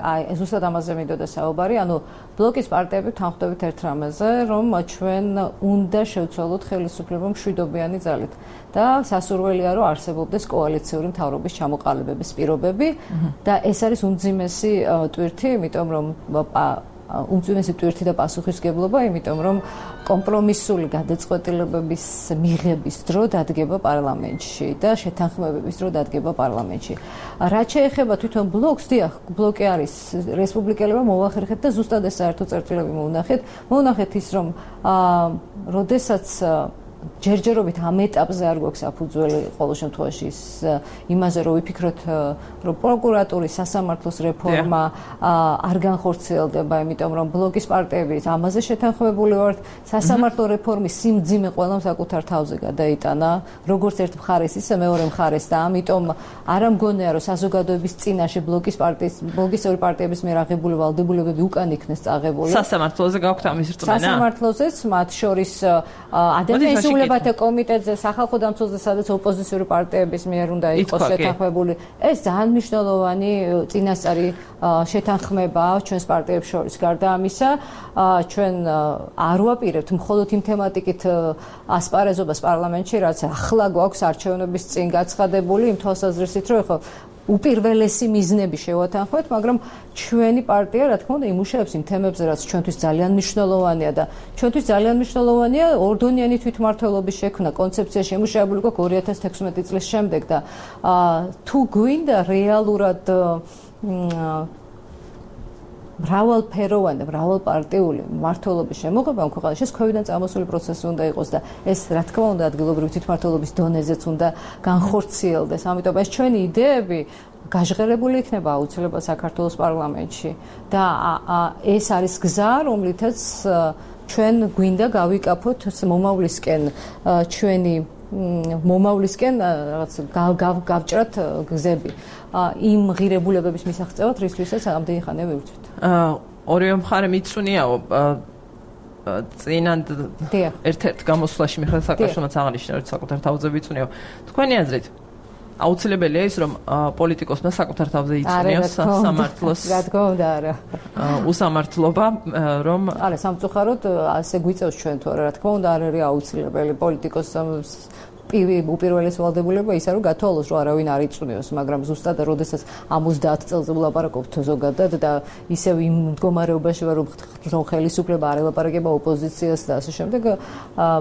Speaker 4: აი ზუსტად ამაზე მინდოდა საუბარი, ანუ ბლოკის პარტიები თანხმდებით ერთ რამეზე, რომ ჩვენ უნდა შევცვალოთ ხელისუფლება მშვიდობიანი ძალით და სასურველია, რომ არსებობდეს კოალიციური მთავრობის ჩამოყალიბების პირობები და ეს არის უმძიმესი ტვირთი, იმიტომ რომ უმძიმესი ტვირთი და პასუხისგებლობა, იმიტომ რომ კომპრომისული გადაწყვეტილებების მიღების დრო დადგება პარლამენტში და შეთანხმებების დრო დადგება პარლამენტში. რაც შეეხება თვითონ ბლოკს, დიახ, ბლოკი არის რესპუბლიკელებმა მოახერხეთ და ზუსტად ეს საერთო წერტილები მოუნახეთ. მოუნახეთ ის, რომ როდესაც ჯერჯერობით ამ ეტაპზე არ გვაქვს საფუძველი ყოველ შემთხვევაში იმაზე, რომ ვიფიქროთ, რომ პროკურატურის სასამართლოს რეფორმა არ განხორციელდება, იმიტომ რომ ბლოკის პარტიები ამაზე შეთანხმებული ვართ, სასამართლო რეფორმის სიმძიმე ყველამ საკუთარ თავზე გადაიტანა, როგორც ერთ მხარეს, ისე მეორე მხარეს და ამიტომ არ ამგონია, რომ საზოგადოების წინაშე ბლოკის პარტიის, ბლოკის ორი პარტიების მიერ აღებული ვალდებულებები უკან იქნეს წაღებული.
Speaker 1: სასამართლოზე გაქვთ ამის რწმენა?
Speaker 4: სასამართლოზეც, მათ შორის ადამიანის სრულებათა კომიტეტზე, სახალხო დამცველზე, სადაც ოპოზიციური პარტიების მიერ უნდა იყოს შეთანხმებული. ეს ძალიან მნიშვნელოვანი წინასწარი შეთანხმება ჩვენს პარტიებს შორის. გარდა ამისა, ჩვენ არ ვაპირებთ მხოლოდ იმ თემატიკით ასპარეზობას პარლამენტში, რაც ახლა გვაქვს არჩევნების წინ გაცხადებული, იმ თვალსაზრისით, რომ ხო უპირველესი მიზნები შევათანხმეთ, მაგრამ ჩვენი პარტია, რა თქმა უნდა, იმუშავებს იმ თემებზე, რაც ჩვენთვის ძალიან მნიშვნელოვანია და ჩვენთვის ძალიან მნიშვნელოვანია ორდონიანი თვითმმართველობის შექმნა, კონცეფცია შემუშავებული გვაქვს ორი ათას თექვსმეტი წლის შემდეგ და თუ გვინდა რეალურად მრავალფეროვანი და მრავალპარტიული მმართველობის შემოღება ამ ქვეყანაში, ეს ქვევიდან წამოსული პროცესი უნდა იყოს და ეს, რა თქმა უნდა, ადგილობრივი თვითმმართველობის დონეზეც უნდა განხორციელდეს. ამიტომ ეს ჩვენი იდეები გაჟღერებული იქნება აუცილებლად საქართველოს პარლამენტში და ეს არის გზა, რომლითაც ჩვენ გვინდა გავიკაფოთ მომავლისკენ ჩვენი მომავლისკენ რაღაც გავჭრათ გზები იმ ღირებულებების მისაღწევად, რისთვისაც ამდენი ხანია ვივწვით.
Speaker 1: ორივე მხარე მიწუნიაო წინანდ ერთ-ერთ გამოსვლაში მიხეილ სააკაშვილმაც აღნიშნა, რომ საკუთარ თავზე ვიწუნიაო. თქვენი აზრით აუცილებელია ის რომ პოლიტიკოსმა საკუთარ თავზე იწვნიოს სამართლოს
Speaker 4: რა თქმა უნდა არა
Speaker 1: უსამართლობა რომ
Speaker 4: არა სამწუხაროდ ასე გვიწევს ჩვენ თუ რა თქმა უნდა არ არის აუცილებელი პოლიტიკოს უპირველეს ვალდებულება ისა რომ გათვალოს რომ არავინ არ იწვნიოს მაგრამ ზუსტად როდესაც ამდენჯერ წელზე ვლაპარაკობთ ზოგადად და ისევ იმ მდგომარეობაში ვარ რომ ხელისუფლება არ ელაპარაკება ოპოზიციას და ასე შემდეგ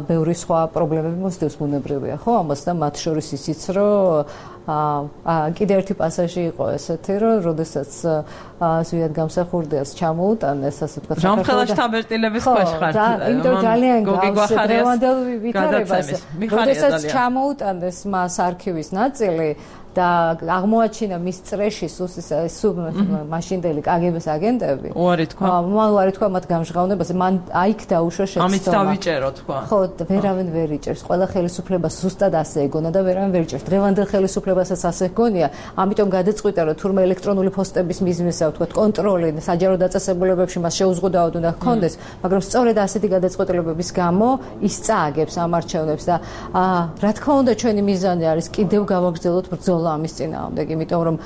Speaker 4: ბევრი სხვა პრობლემები მოსდევს ბუნებრივია ხო ამას და მათ შორის ისიც რომ აა კიდე ერთი პასაჟი იყო ესეთი რომ როდესაც ზვიად გამსახურდიას ჩამოუტანეს ასე ვთქვათ
Speaker 1: ჯანმრთელობის თაბერტილების ქვეშ ხარ
Speaker 4: იმიტომ ძალიან გავს დღევანდელ ვითარებას როდესაც ჩამოუტანეს მას არქივის ნაწილი და აღმოაჩინა მის წრეში სულ მაშინდელი კგბ-ის აგენტები
Speaker 1: უარი თქვა
Speaker 4: მან უარი თქვა მათ გამჟღავნებაზე მან აიქ დაუშვა შეცდომა
Speaker 1: ამით დავიჭერო თქვა
Speaker 4: ხო ვერავინ ვერ იჭერს ყველა ხელისუფლებას ზუსტად ასე ეგონა და ვერავინ ვერ იჭერს დღევანდელ ხელისუფლებასაც ასე გონია ამიტომ გადაწყვიტა რომ თურმე ელექტრონული პოსტების მიზნისა ვთქვათ კონტროლი საჯარო დაწესებულებებში მას შეუზღუდავად უნდა ჰქონდეს მაგრამ სწორედ ასეთი გადაწყვეტილებების გამო ის წააგებს ამ არჩევნებს და რა თქმა უნდა ჩვენი მიზანი არის კიდევ გავაგრძელოთ ბრძოლა ამის წინააღმდეგ, იმიტომ რომ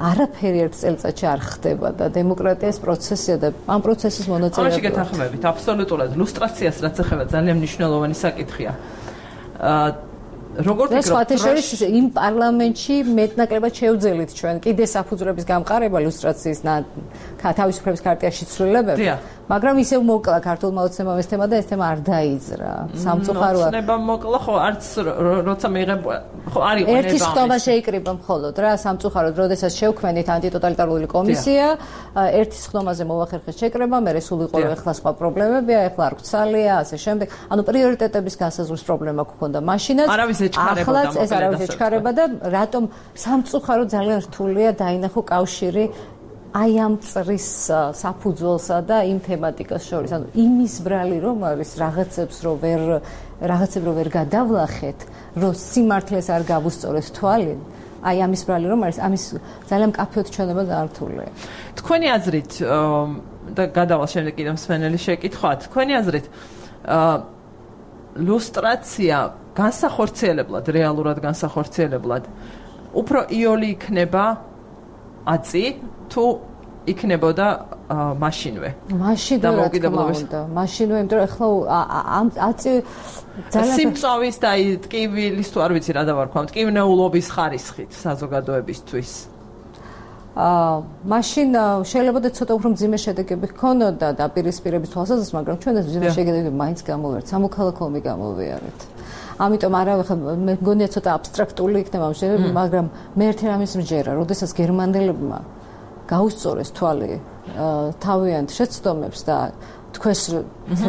Speaker 4: არაფერი ერთ წელიწადში არ ხდება და დემოკრატიას პროცესია და ამ პროცესის მონაწილეა.
Speaker 1: ამაში გეთანხმებით, აბსოლუტურად ლუსტრაციას რაც ეხება ძალიან მნიშვნელოვანი საკითხია. აა როგორც
Speaker 4: ვფიქრობ, იმ პარლამენტში მეტნაკლებად შევძელით ჩვენ კიდე საფუძვლების გამყარება ლუსტრაციის თავისუფლების ქარტიაში ცვლილებები. მაგრამ ისევ მოკლა ქართულმა ოცნებამ ეს თემა და ეს თემა არ დაიძრა. სამწუხაროა.
Speaker 1: ოცნებამ მოკლა ხო არც როცა მიიღებ ხო არ იყო
Speaker 4: ერთი ხტომა შეიკრიბა მხოლოდ რა სამწუხაროდ როდესაც შევქმნით ანტიტოტალიტარული კომისია ერთი ხტომაზე მოახერხეს შეკრება მე სულ იყო ეხლა სხვა პრობლემებია ეხლა არ გვცალია ასე შემდეგ ანუ პრიორიტეტების განსაზღვრის პრობლემა გქონდა მაშინაც
Speaker 1: არავის ეჩქარებოდა
Speaker 4: ახლაც ეს არავის ეჩქარება და რატომ სამწუხაროდ ძალიან რთულია დაინახო კავშირი აი ამ წრის საფუძველსა და იმ თემატიკას შორის. ანუ იმის ბრალი რომ არის რაღაცებს რომ ვერ რაღაცებს რომ ვერ გადავლახეთ, რომ სიმართლეს არ გავუსწორეთ თვალი, აი ამის ბრალი რომ არის, ამის ძალიან მკაფიოდ ჩვენება გართულია.
Speaker 1: თქვენი აზრით და გადავალ შემდეგ კიდევ მსმენელი შეკითხვა, თქვენი აზრით ლუსტრაცია განსახორციელებლად, რეალურად განსახორციელებლად უფრო იოლი იქნება აწი თუ იქნებოდა მაშინვე.
Speaker 4: მაშინვე რა თქმა უნდა. მაშინვე, იმიტომ რომ ახლა ამ აწი
Speaker 1: ძალიან სიმწავის და აი ტკივილის თუ არ ვიცი რა დავარქვა, ტკივნეულობის ხარისხით საზოგადოებისთვის.
Speaker 4: აა მაშინ შეიძლება და ცოტა უფრო მძიმე შედეგები ჰქონოდა დაპირისპირების თვალსაზრისით, მაგრამ ჩვენ ეს მძიმე შედეგები მაინც გამოვერთ, სამოქალაქო ომი გამოვიარეთ. ამიტომ არავე ხა მე მგონია ცოტა აბსტრაქტული იქნება ამ შედეგები, მაგრამ მე ერთი რამის მჯერა, როდესაც გერმანელებმა გაუსწორეს თვალი თავიანთ შეცდომებს და თქვენს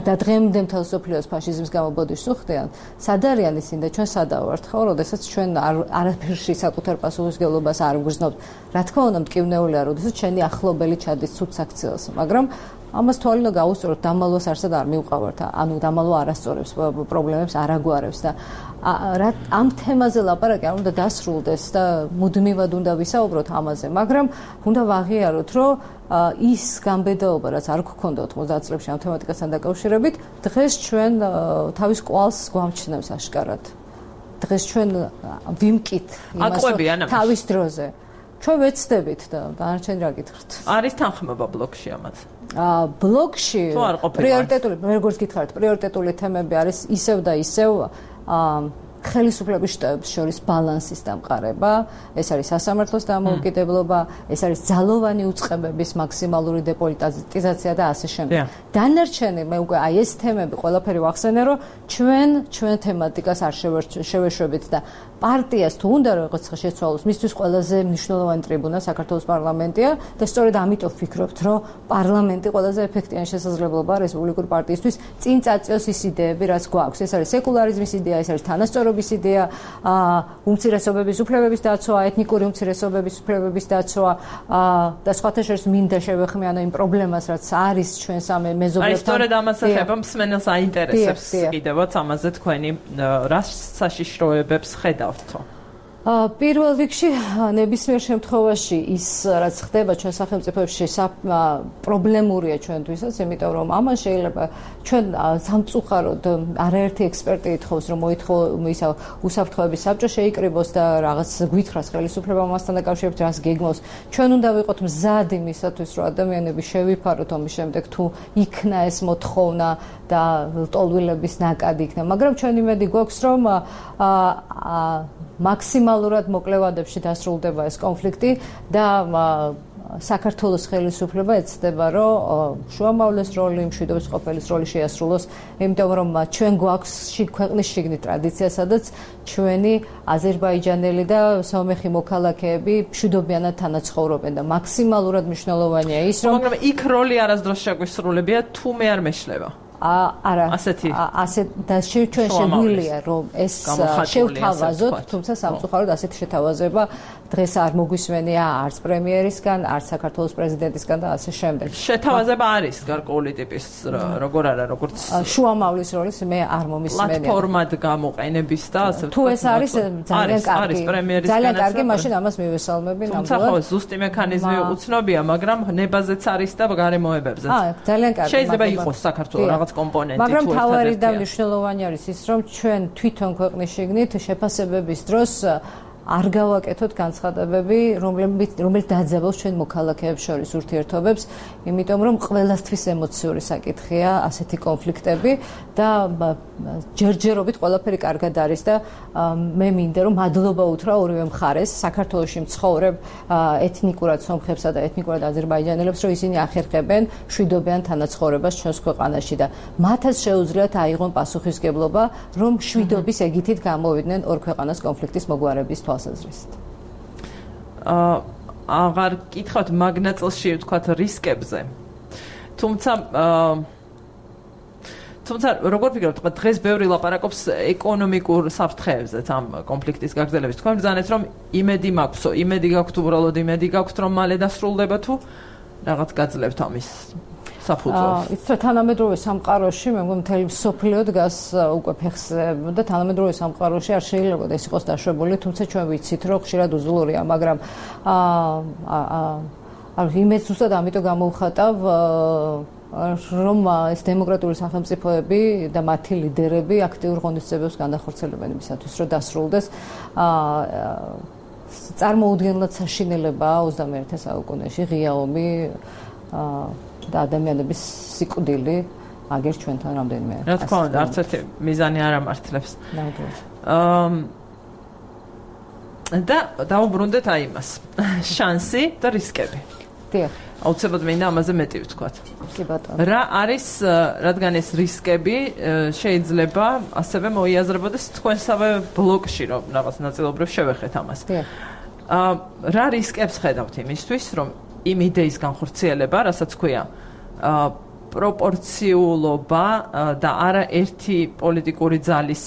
Speaker 4: და დღემდე მთელ სოფლიოს ფაშიზმის გამობოდიშს უხდიან, სად არიან ისინი და ჩვენ სადა ვართ ხო, როდესაც ჩვენ არაფერში საკუთარ პასუხისმგებლობას არ ვგრძნობთ. რა თქმა უნდა, მტკივნეულია, როდესაც ჩვენი ახლობელი ჩადის ცუდ საქციელს, მაგრამ ამას თვალი უნდა გაუსწოროთ, დამალვას არსად არ მივყავართ, ანუ დამალვა არასწორებს პრობლემებს არ აგვარებს და ამ თემაზე ლაპარაკი არ უნდა დასრულდეს და მუდმივად უნდა ვისაუბროთ ამაზე, მაგრამ უნდა ვაღიაროთ, რომ ის გამბედაობა, რაც არ გქონდა ოთხმოცდაათ წლებში ამ თემატიკასთან დაკავშირებით, დღეს ჩვენ თავის კვალს გვამჩნევს აშკარად. დღეს ჩვენ ვიმკით იმას თავის დროზე. ჩვენ ვეცდებით და დანარჩენი რა გითხრათ?
Speaker 1: არის თანხმობა ბლოგში ამაზე?
Speaker 4: აა ბლოგში პრიორიტეტული, როგორც გითხარით, პრიორიტეტული თემები არის ისევ და ისევ აა ხელისუფლების შტაბებს შორის ბალანსის დამყარება, ეს არის სასამართლოს დამოუკიდებლობა, ეს არის ძალოვანი უწყებების მაქსიმალური დეპოლიტიზაცია და ასე შემდეგ. დანარჩენი მე უკვე აი ეს თემები ყველაფერი ვახსენე, რომ ჩვენ ჩვენ თემატიკას არ შევეშვებით და პარტიას თუ უნდა რაღაც შეცვალოს, მისთვის ყველაზე მნიშვნელოვანი ტრიბუნა საქართველოს პარლამენტია და სწორედ ამიტომ ვფიქრობთ, რომ პარლამენტი ყველაზე ეფექტიანი შესაძლებლობაა რესპუბლიკური პარტიისთვის წინ წაწიოს ის იდეები, რაც გვაქვს. ეს არის სეკულარიზმის იდეა, ეს არის თანასწორობის იდეა, უმცირესობების უფლებების დაცვა, ეთნიკური უმცირესობების უფლებების დაცვა და სხვათა შორის მინდა შევეხმიანო იმ პრობლემას, რაც არის ჩვენ სამე მეზობლებთან.
Speaker 1: აი სწორედ ამას ეხება მსმენელს აინტერესებს კიდევაც ამაზე თქვენი რა საშიშროებებს ხედავთ.
Speaker 4: პირველ რიგში ნებისმიერ შემთხვევაში ის რაც ხდება ჩვენ სახელმწიფოებში პრობლემურია ჩვენთვისაც, იმიტომ რომ ამან შეიძლება ჩვენ სამწუხაროდ არაერთი ექსპერტი ითხოვს რომ ისა უსაფრთხოების საბჭო შეიკრიბოს და რაღაც გვითხრას ხელისუფლება მასთან დაკავშირებით რას გეგმავს. ჩვენ უნდა ვიყოთ მზად იმისათვის რომ ადამიანები შევიფაროთ ომის შემდეგ თუ იქნა ეს მოთხოვნა და ლტოლვილების ნაკადი იქნება, მაგრამ ჩვენ იმედი გვაქვს რომ მაქსიმალურად მოკლე ვადებში დასრულდება ეს კონფლიქტი და საქართველოს ხელისუფლება ეცდება რომ შუამავლეს როლი, მშვიდობის ყოფილის როლი შეასრულოს, იმიტომ რომ ჩვენ გვაქვს ქვეყნის შიგნით ტრადიცია, სადაც ჩვენი აზერბაიჯანელი და სომეხი მოქალაქეები მშვიდობიანად თანაცხოვრობენ და მაქსიმალურად მნიშვნელოვანია ის რომ
Speaker 1: მაგრამ იქ როლი არასდროს შეგვისრულებია თუ მე არ მეშლება.
Speaker 4: არა
Speaker 1: ასეთი
Speaker 4: ასეთ და ჩვენ შეგვიძლია რომ ეს შევთავაზოთ, თუმცა სამწუხაროდ ასეთი შეთავაზება დღეს არ მოგვისმენია არც პრემიერისგან, არც საქართველოს პრეზიდენტისგან და ასე შემდეგ.
Speaker 1: შეთავაზება არის გარკვეული ტიპის როგორ არა, როგორც
Speaker 4: შუამავლის როლის მე არ მომისმენია.
Speaker 1: პლატფორმად გამოყენების და ასე
Speaker 4: თუ ეს არის ძალიან კარგი.
Speaker 1: არის პრემიერისგან.
Speaker 4: ძალიან კარგი, მაშინ ამას მივესალმები ნამდვილად.
Speaker 1: თუმცა ხო ზუსტი მექანიზმი უცნობია, მაგრამ ნებაზეც არის და გარემოებებზეც.
Speaker 4: აა ძალიან კარგი.
Speaker 1: შეიძლება იყოს საქართველოს რაღაც კომპონენტი თუ
Speaker 4: მაგრამ თავარი და მნიშვნელოვანი არის ის რომ ჩვენ თვითონ ქვეყნის შიგნით შეფასებების დროს არ გავაკეთოთ განცხადებები, რომლებიც რომელიც დაძაბავს ჩვენ მოქალაქეებს შორის ურთიერთობებს, იმიტომ რომ ყველასთვის ემოციური საკითხია ასეთი კონფლიქტები და ჯერჯერობით ყველაფერი კარგად არის და მე მინდა რომ მადლობა უთხრა ორივე მხარეს, საქართველოში მცხოვრებ ეთნიკურად სომხებსა და ეთნიკურად აზერბაიჯანელებს, რომ ისინი ახერხებენ მშვიდობიან თანაცხოვრებას ჩვენს ქვეყანაში და მათაც შეუძლიათ აიღონ პასუხისგებლობა, რომ მშვიდობის ეგითით გამოვიდნენ ორ ქვეყანას კონფლიქტის მოგვარების თვალსაზრისით.
Speaker 1: აა აღარ კითხავთ მაგნაწილში ვთქვათ რისკებზე. თუმცა აა თუმცა როგორ ფიქრობთ, დღეს ბევრი ლაპარაკობს ეკონომიკურ საფრთხეებზეც ამ კონფლიქტის გაგრძელების. თქვენ ბრძანეთ რომ იმედი მაქვსო, იმედი გაქვთ უბრალოდ იმედი გაქვთ რომ მალე დასრულდება თუ რაღაც გაძლევთ ამის საფუძველს.
Speaker 4: იცით თანამედროვე სამყაროში მე მგონი მთელი მსოფლიო დგას უკვე ფეხზე და თანამედროვე სამყაროში არ შეიძლება ეს იყოს დაშვებული, თუმცა ჩვენ ვიცით რომ ხშირად უძლურია, მაგრამ აა იმეც ზუსტად ამიტომ გამოვხატავ რომ ეს დემოკრატიული სახელმწიფოები და მათი ლიდერები აქტიურ ღონისძიებებს განახორციელებენ იმისათვის, რომ დასრულდეს აა წარმოუდგენლად საშინელებაა ოცდამეერთე საუკუნეში ღია ომი და ადამიანების სიკვდილი აგერ ჩვენთან რამდენიმე.
Speaker 1: რა თქმა უნდა, არც ერთი მიზანი არ ამართლებს.
Speaker 4: ნამდვილად.
Speaker 1: აა და დავუბრუნდეთ აი იმას. შანსი და რისკები.
Speaker 4: დიახ.
Speaker 1: აუცილებლად მინდა ამაზე მეტი ვთქვათ.
Speaker 4: კი ბატონო.
Speaker 1: რა არის, რადგან ეს რისკები შეიძლება ასევე მოიაზრებოდეს თქვენსავე ბლოკში, რომ რაღაც ნაწილობრივ შევეხეთ ამას.
Speaker 4: დიახ.
Speaker 1: აა რა რისკებს ხედავთ იმისთვის, რომ იმ იდეის განხორციელება, რასაც ქვია, აა პროპორციულობა და არა ერთი პოლიტიკური ძალის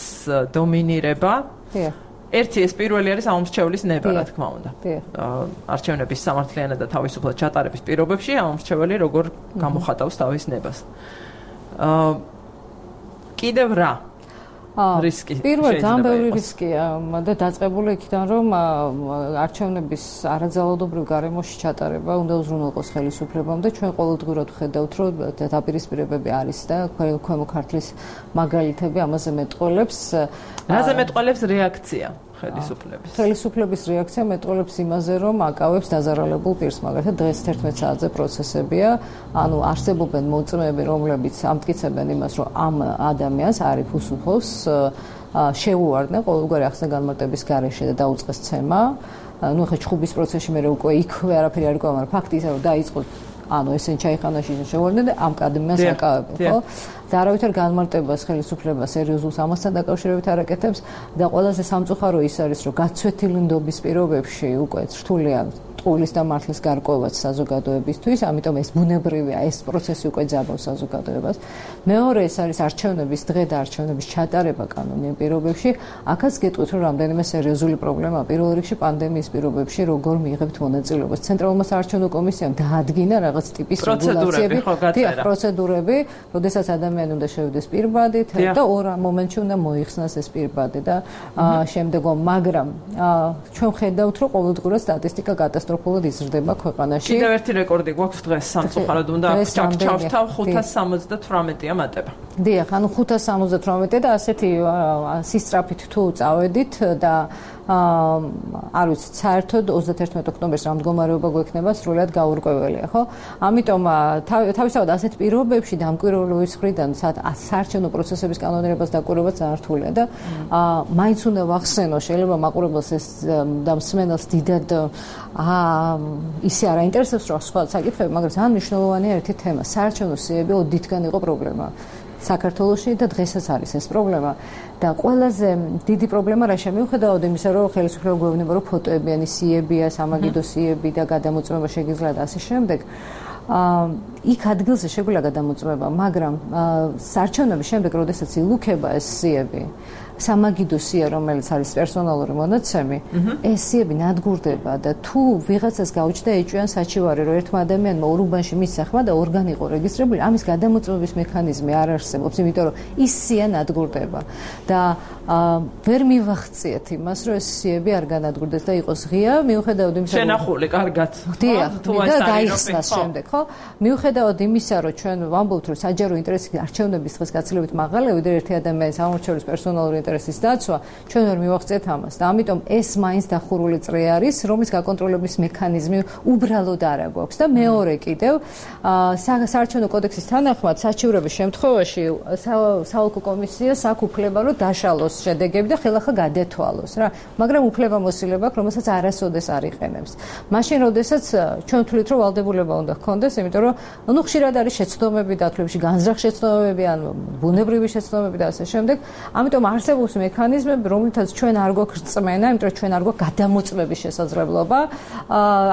Speaker 1: დომინირება.
Speaker 4: დიახ.
Speaker 1: ერთი ეს პირველი არის ამომრჩევლის ნება, რა თქმა უნდა. აა არჩევნების სამართლიანად და თავისუფლად ჩატარების პირობებში ამომრჩეველი როგორ გამოხატავს თავის ნებას. აა კიდევ რა? რისკი.
Speaker 4: პირველად ამ ბევრი რისკია და დაწყებული იქიდან რომ არჩევნების არაძალადობრივ გარემოში ჩატარება უნდა უზრუნველყოს ხელისუფლებამ და ჩვენ ყოველდღურად ვხედავთ რომ დაპირისპირებები არის და ქვემო ქართლის მაგალითები ამაზე მეტყველებს.
Speaker 1: რაზე მეტყველებს რეაქცია ხელისუფლების?
Speaker 4: ხელისუფლების რეაქცია მეტყველებს იმაზე რომ აკავებს დაზარალებულ პირს, მაგალითად დღეს თერთმეტ საათზე პროცესებია, ანუ არსებობენ მოწმეები, რომლებიც ამტკიცებენ იმას, რომ ამ ადამიანს არის უსუხოს შეუვარდნენ ყოველგვარი ახსნა განმარტების გარეშე და დაუწყეს ცემა. ნუ ხე ჩხუბის პროცესში მე უკვე იქვე არაფერი არ გქონდა, მაგრამ ფაქტი ისაა რომ დაიწყო ანუ ესენ ჩაიხანაში შეუვარდნენ და ამ ადამიანს აკავებენ, ხო? და არავითარ განმარტებას ხელისუფლება სერიოზულს ამასთან დაკავშირებით არ აკეთებს და ყველაზე სამწუხარო ის არის რომ გაცვეთილი ნდობის პირობებში უკვე რთულია ტყუილის და მართლის გარკვევაც საზოგადოებისთვის, ამიტომ ეს ბუნებრივია, ეს პროცესი უკვე ძაბავს საზოგადოებას. მეორე ეს არის არჩევნების დღე და არჩევნების ჩატარება კანონიერ პირობებში. აქაც გეტყვით, რომ რამდენიმე სერიოზული პრობლემაა. პირველ რიგში პანდემიის პირობებში როგორ მიიღებთ მონაწილეობას. ცენტრალურმა საარჩევნო კომისიამ დაადგინა რაღაც ტიპის რეგულაციები, დიახ, პროცედურები, როდესაც ადამიანი უნდა შევიდეს პირბადით და ორ მომენტში უნდა მოიხსნას ეს პირბადი და შემდეგო, მაგრამ ჩვენ ხედავთ, რომ ყოველდღურად სტატისტიკა კატასტროფულად იზრდება ქვეყანაში.
Speaker 1: კიდევ ერთი რეკორდი გვაქვს დღეს სამწუხაროდ უნდა ჩავთავ ხუთას სამოცდათვრამეტია მატება.
Speaker 4: დიახ, ანუ ხუთას სამოცდათვრამეტი და ასეთი სისწრაფით თუ წავედით და არ ვიცი, საერთოდ ოცდაათერთმეტ ოქტომბერს რა მდგომარეობა გვექნება სრულად გაურკვეველია, ხო? ამიტომ თავისთავად ასეთ პირობებში დამკვირვებლობის მხრიდან საარჩევნო პროცესების კანონიერებას დაკვირვება ძალიან რთულია და მაინც უნდა ვახსენო, შეიძლება მაყურებელს ეს და მსმენელს დიდად ისე არ აინტერესებს რა სხვა საკითხები, მაგრამ ძალიან მნიშვნელოვანია ერთი თემა. საარჩევნო სიები ოდითგან იყო პრობლემა საქართველოში და დღესაც არის ეს პრობლემა და ყველაზე დიდი პრობლემა რა შემიუხედავად იმისა, რომ ხელისუფლება გვევნება, რომ ფოტოებიანი სიებია, სამაგიდო სიები და გადამოწმება შეგიძლიათ და ასე შემდეგ. იქ ადგილზე შეგვიძლია გადამოწმება, მაგრამ საარჩევნების შემდეგ, როდესაც ილუქება ეს სიები, სამაგიდო სია, რომელიც არის პერსონალური მონაცემი, ეს სიები ნადგურდება და თუ ვიღაცას გაუჩნდა ეჭვიან საჩივარი, რომ ერთმა ადამიანმა ორ უბანში მისახმა და ორგანი იყო რეგისტრირებული, ამის გადამოწმების მექანიზმი არ არსებობს, იმიტომ რომ ის სია ნადგურდება და ვერ მივახციეთ იმას, რომ ეს სიები არ განადგურდეს და იყოს ღია, მიუხედავად იმისა, რომ
Speaker 1: შენახული, კარგად.
Speaker 4: დიახ, და გაიხსნას შემდეგ, ხო? მიუხედავად იმისა, რომ ჩვენ ვამბობთ, რომ საჯარო ინტერესი არჩევნების დღეს გაცილებით მაღალია, ვიდრე ერთი ადამიანის ამორჩევლის პერსონალური ინტერესის დაცვა, ჩვენ ვერ მივახციეთ ამას და ამიტომ ეს მაინც დახურული წრე არის, რომლის გაკონტროლების მექანიზმი უბრალოდ არ აქვს და მეორე კიდევ საარჩევნო კოდექსის თანახმად საჩივრების შემთხვევაში საოლქო კომისიას აქვს უფლება, რომ დაშალოს შედეგები და ხელახლა გადეთვალოს რა, მაგრამ უფლებამოსილება აქვს, რომელსაც არასოდეს არ იყენებს. მაშინ, როდესაც ჩვენ ვთვლით, რომ ვალდებულება უნდა ჰქონდეს, იმიტომ რომ ნუ ხშირად არის შეცდომები დათვლებში, განზრახ შეცდომები, ან ბუნებრივი შეცდომები და ასე შემდეგ. ამიტომ არსებობს მექანიზმები, რომლითაც ჩვენ არ გვაქვს რწმენა, იმიტომ რომ ჩვენ არ გვაქვს გადამოწმების შესაძლებლობა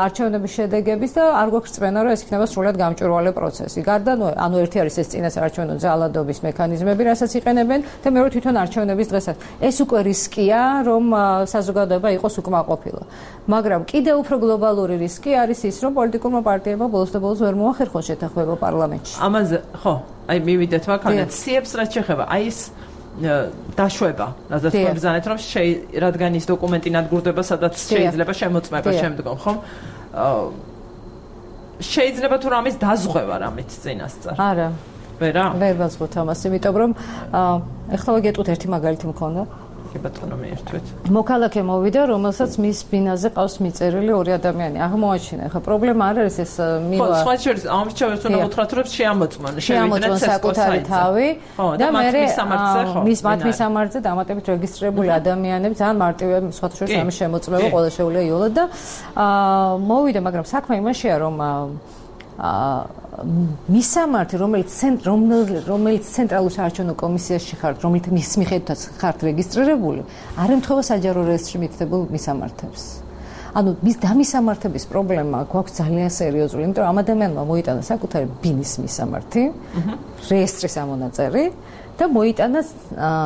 Speaker 4: არჩევნების შედეგების და არ გვაქვს რწმენა, რომ ეს იქნება სრულად გამჭვირვალე პროცესი. გარდა ანუ ერთი არის ეს წინასაარჩევნო ძალადობის მექანიზმები, რასაც იყენებენ და მეორე თვითონ არჩევნების დღესაც. ეს უკვე რისკია, რომ საზოგადოება იყოს უკმაყოფილო. მაგრამ კიდევ უფრო გლობალური რისკი არის ის, რომ პოლიტიკურმა პარტიებმა ბოლოს და ბოლოს ვერ მოახერხონ შეთანხმება პარლამენტში.
Speaker 1: ამაზე, ხო, აი მივიდეთ ვაკანეთ სიებს რაც შეხება. აი ეს დაშვება, რადგან გვგზავნეთ, რომ რადგან ის დოკუმენტი ნადგურდება, სადაც შეიძლება შემოწმება შემდგომ, ხო? შეიძლება თუ რამის დაზღვევა რამით წინასწარ.
Speaker 4: არა.
Speaker 1: ვერა?
Speaker 4: ვერ ვაზღვევთ ამას, იმიტომ რომ ეხლა ვაგეტყვით ერთი მაგალითი მქონდა.
Speaker 1: კი ბატონო მიერთვით.
Speaker 4: მოქალაქე მოვიდა, რომელსაც მის ბინაზე ყავს მიწერილი ორი ადამიანი. აღმოაჩინა. ხა პრობლემა არ არის ეს მივა.
Speaker 1: ხო, სხვა შორის ამრჩევებს უნდა მოთხრათ, რომ შეამოწმონ,
Speaker 4: შევიდნენ საკუთარი თავი
Speaker 1: და მის სამართზე ხო.
Speaker 4: მის მათმის სამართზე დამატებით რეგისტრირებული ადამიანები ძალიან მარტივია სხვათა შორის ამის შემოწმება, ყველა შეუძლია იოლად და მოვიდა, მაგრამ საქმე იმაშია, რომ მისამართი, რომელიც რომელიც ცენტრალურ საარჩევნო კომისიაში ხართ, რომელიც მის მიხედვითაც ხართ რეგისტრირებული, არ ემთხვევა საჯარო რეესტრში მითითებულ მისამართებს. ანუ მის დამისამართების პრობლემა გვაქვს ძალიან სერიოზული, იმიტომ რომ ამ ადამიანმა მოიტანა საკუთარი ბინის მისამართი, რეესტრის ამონაწერი და მოიტანა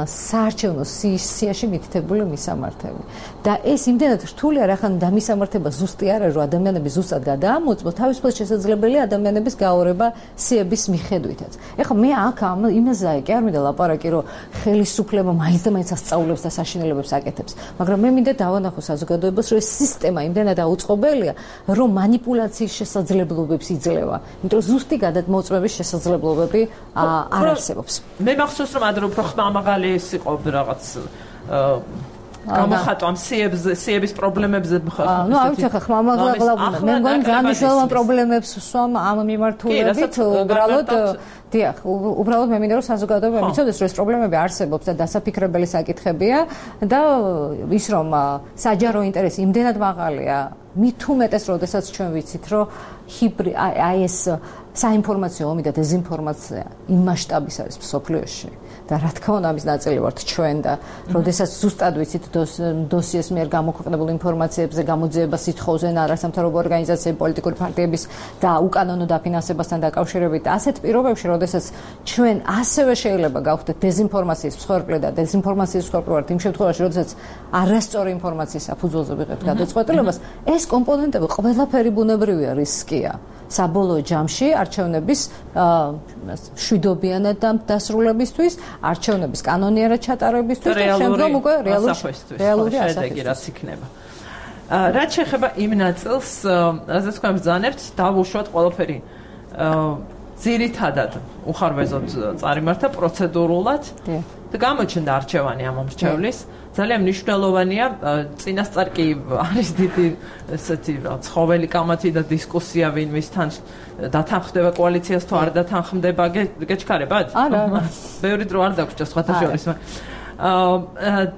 Speaker 4: საარჩევნო სიაში მითითებული მისამართები. და ეს იმდენად რთულია, რახან დამისამართება ზუსტი არ არის, რომ ადამიანები ზუსტად გადაამოწმოს, თავისუფლად შესაძლებელია ადამიანების გაორება სიების მიხედვითაც. ეხლა მე აქ ამ იმაზეა კი არ მინდა ლაპარაკი, რომ ხელისუფლება მაინც და მაინც ასწავლებს და საშინელებებს აკეთებს, მაგრამ მე მინდა დავანახო საზოგადოებას, რომ ეს სისტემა იმდენად აუწყობელია, რომ манипуляციის შესაძლებლობებს იძლევა. იმიტომ რომ ზუსტი გადამოწმების შესაძლებლობები არ არსებობს.
Speaker 1: მე მახსოვს რომ ადრე უფრო ხმამაღალი ის იყო რაღაც გამოხატვა ამ სიებს სიების პრობლემებზე
Speaker 4: ხა. ნუ არ ვიცი ხა ხმამაღლა მე მგონი ძალიან მნიშვნელოვან პრობლემებს ვსვამ ამ მიმართულებით უბრალოდ დიახ, უბრალოდ მე მინდა რომ საზოგადოება მიცოდეს რომ ეს პრობლემები არსებობს და დასაფიქრებელი საკითხებია და ის რომ საჯარო ინტერესი იმდენად მაღალია მით უმეტეს, როდესაც ჩვენ ვიცით, რომ ჰიბრი აი ეს საინფორმაციო ომი და დეზინფორმაცია იმ მასშტაბის არის მსოფლიოში და რა თქმა უნდა ამის ნაწილი ვართ ჩვენ და როდესაც ზუსტად ვიცით დოსიეს მიერ გამოქვეყნებულ ინფორმაციებზე გამოძიება სითხოვზე არასამთავრობო ორგანიზაციების პოლიტიკური პარტიების და უკანონო დაფინანსებასთან დაკავშირებით ასეთ პირობებში როდესაც ჩვენ ასევე შეიძლება გავხდეთ დეზინფორმაციის მსხვერპლი და დეზინფორმაციის მსხვერპლი ვართ იმ შემთხვევაში როდესაც არასწორი ინფორმაციის საფუძველზე ვიღებთ გადაწყვეტილებას ეს კომპონენტები ყველაფერი ბუნებრივია რისკია საბოლოო ჯამში არჩევნების შვიდობიანად დასრულებისთვის, არჩევნების კანონიერად ჩატარებისთვის და შემდგომ უკვე რეალური
Speaker 1: შედეგი რაც იქნება. რაც შეეხება იმ ნაწილს, რაზეც თქვენ ბრძანებთ, დავუშვათ ყველაფერი ძირითადად უხარვეზოდ წარიმართა პროცედურულად და გამოჩნდა არჩევანი ამ მომრჩევლის. ძალიან მნიშვნელოვანია, წინასწარ კი არის დიდი ესეთი ცხოველი კამათი და დისკუსია ვინმისთან დათანხმდება კოალიციას თუ არ დათანხმდება, გეჩქარებათ?
Speaker 4: არა, არა.
Speaker 1: ბევრი დრო არ დაგვრჩა სხვათა შორის.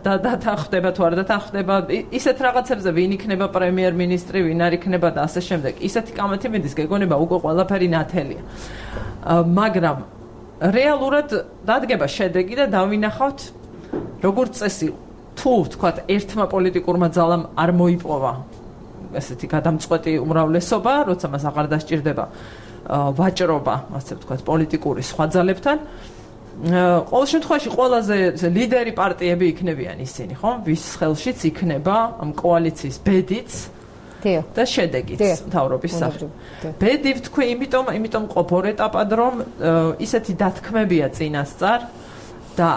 Speaker 1: და დათანხმდება თუ არ დათანხმდება, ისეთ რაღაცებზე ვინ იქნება პრემიერ-მინისტრი, ვინ არ იქნება და ასე შემდეგ. ისეთი კამათი მიდის, გეგონება უკვე ყველაფერი ნათელია. მაგრამ რეალურად დადგება შედეგი და დავინახავთ როგორც წესი თუ ვთქვათ ერთმა პოლიტიკურმა ძალამ არ მოიპოვა ესეთი გადამწყვეტი უმრავლესობა, როცა მას აღარ დასჭირდება ვაჭრობა, ასე ვთქვათ, პოლიტიკური სხვა ძალებთან. ყოველ შემთხვევაში ყველაზე ლიდერი პარტიები იქნებიან ისინი, ხო? ვის ხელშიც იქნება ამ კოალიციის ბედიც და შედეგიც მთავრობის სახით. ბედი ვთქვი, იმიტომ, იმიტომ ყოფ ორ ეტაპად, რომ ისეთი დათქმებია წინასწარ და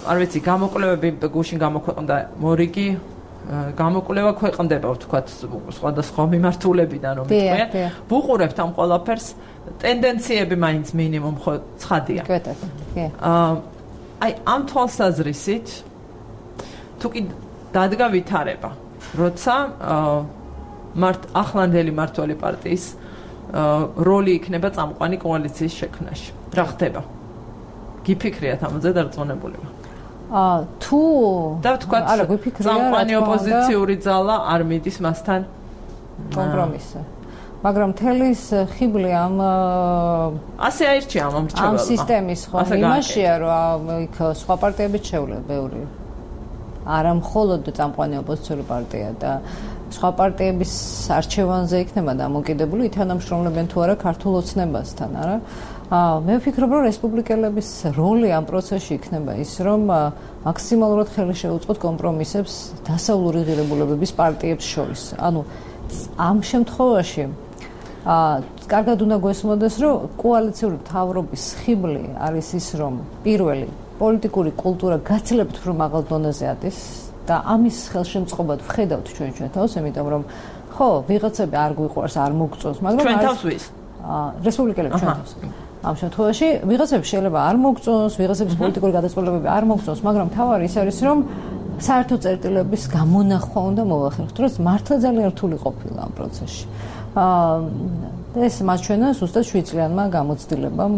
Speaker 1: არ ვიცი, გამოკვლევები გუშინ გამოქვეყნდა მორიგი გამოკვლევა ქვეყნდება, ვთქვათ, სხვადასხვა მიმართულებიდან, რომ თქვენ ვუყურებთ ამ ყველაფერს, ტენდენციები მაინც მინიმუმ ხო ცხადია. აი, ამ თვალსაზრისით თუ კი დადგა ვითარება, როცა მართ ახლანდელი მმართველი პარტიის როლი იქნება წამყვანი კოალიციის შექმნაში. რა ხდება? გიფიქრიათ ამაზე დარწმუნებულება?
Speaker 4: აა თუ
Speaker 1: და ვთქვათ, წამყვანი ოპოზიციური ძალა არ მიდის მასთან
Speaker 4: კომპრომისზე. მაგრამ თელის ხიბლი ამ
Speaker 1: ასე აირჩია ამ მრჩეველმა.
Speaker 4: ამ სისტემის ხო იმაშია, რომ იქ სხვა პარტიებიც შეუძლია ბევრი. არა მხოლოდ წამყვანი ოპოზიციური პარტია და სხვა პარტიების არჩევანზე იქნება დამოკიდებული ითანამშრომლებენ თუ არა ქართულ ოცნებასთან, არა? აა მე ვფიქრობ, რომ რესპუბლიკელების როლი ამ პროცესში იქნება ის, რომ მაქსიმალურად ხელი შეუწყოთ კომპრომისებს დასავლური ღირებულებების პარტიებს შორის. ანუ ამ შემთხვევაში აა კარგად უნდა გვესმოდეს, რომ კოალიციური მთავრობის ხიბლი არის ის, რომ პირველი პოლიტიკური კულტურა გაცილებით უფრო მაღალ დონეზე არის და ამის ხელშემწყობად ვხედავთ ჩვენ ჩვენ თავს, იმიტომ რომ ხო, ვიღაცები არ გვიყვარს, არ მოგწონს, მაგრამ
Speaker 1: ჩვენ თავს ვის?
Speaker 4: აა რესპუბლიკელებს ჩვენ თავს. ამ შემთხვევაში ვიღაცებს შეიძლება არ მოგწონს, ვიღაცების პოლიტიკური გადაწყვეტილებები არ მოგწონს, მაგრამ თავარი ის არის, რომ საერთო წერტილების გამონახვა უნდა მოვახერხოთ, რომ მართლა ძალიან რთული ყოფილა ამ პროცესში. აა ეს მას ჩვენა ზუსტად შვიდ წლიანმა გამოცდილებამ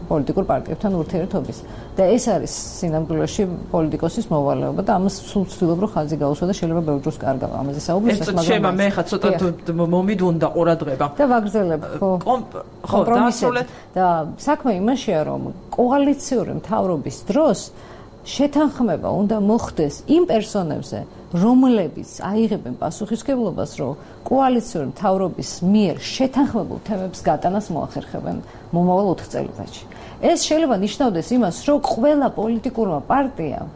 Speaker 4: პოლიტიკურ პარტიებთან ურთიერთობის და ეს არის სინამდვილეში პოლიტიკოსის მოვალეობა და ამას სულ ვცდილობ რომ ხაზი გაუსვა და შეიძლება ბევრ დროს კარგავ ამაზე საუბრისას,
Speaker 1: მაგრამ შეიძლება მე ხა ცოტა მომიდუნდა ყურადღება
Speaker 4: და ვაგრძელებ ხო
Speaker 1: ხო დასრულეთ
Speaker 4: და საქმე იმაშია რომ კოალიციური მთავრობის დროს შეთანხმება უნდა მოხდეს იმ პერსონებზე, რომლებიც აიღებენ პასუხისმგებლობას, რომ კოალიციური მთავრობის მიერ შეთანხმებულ თემებს გატანას მოახერხებენ მომავალ ოთხ წელიწადში. ეს შეიძლება ნიშნავდეს იმას, რომ ყველა პოლიტიკურმა პარტიამ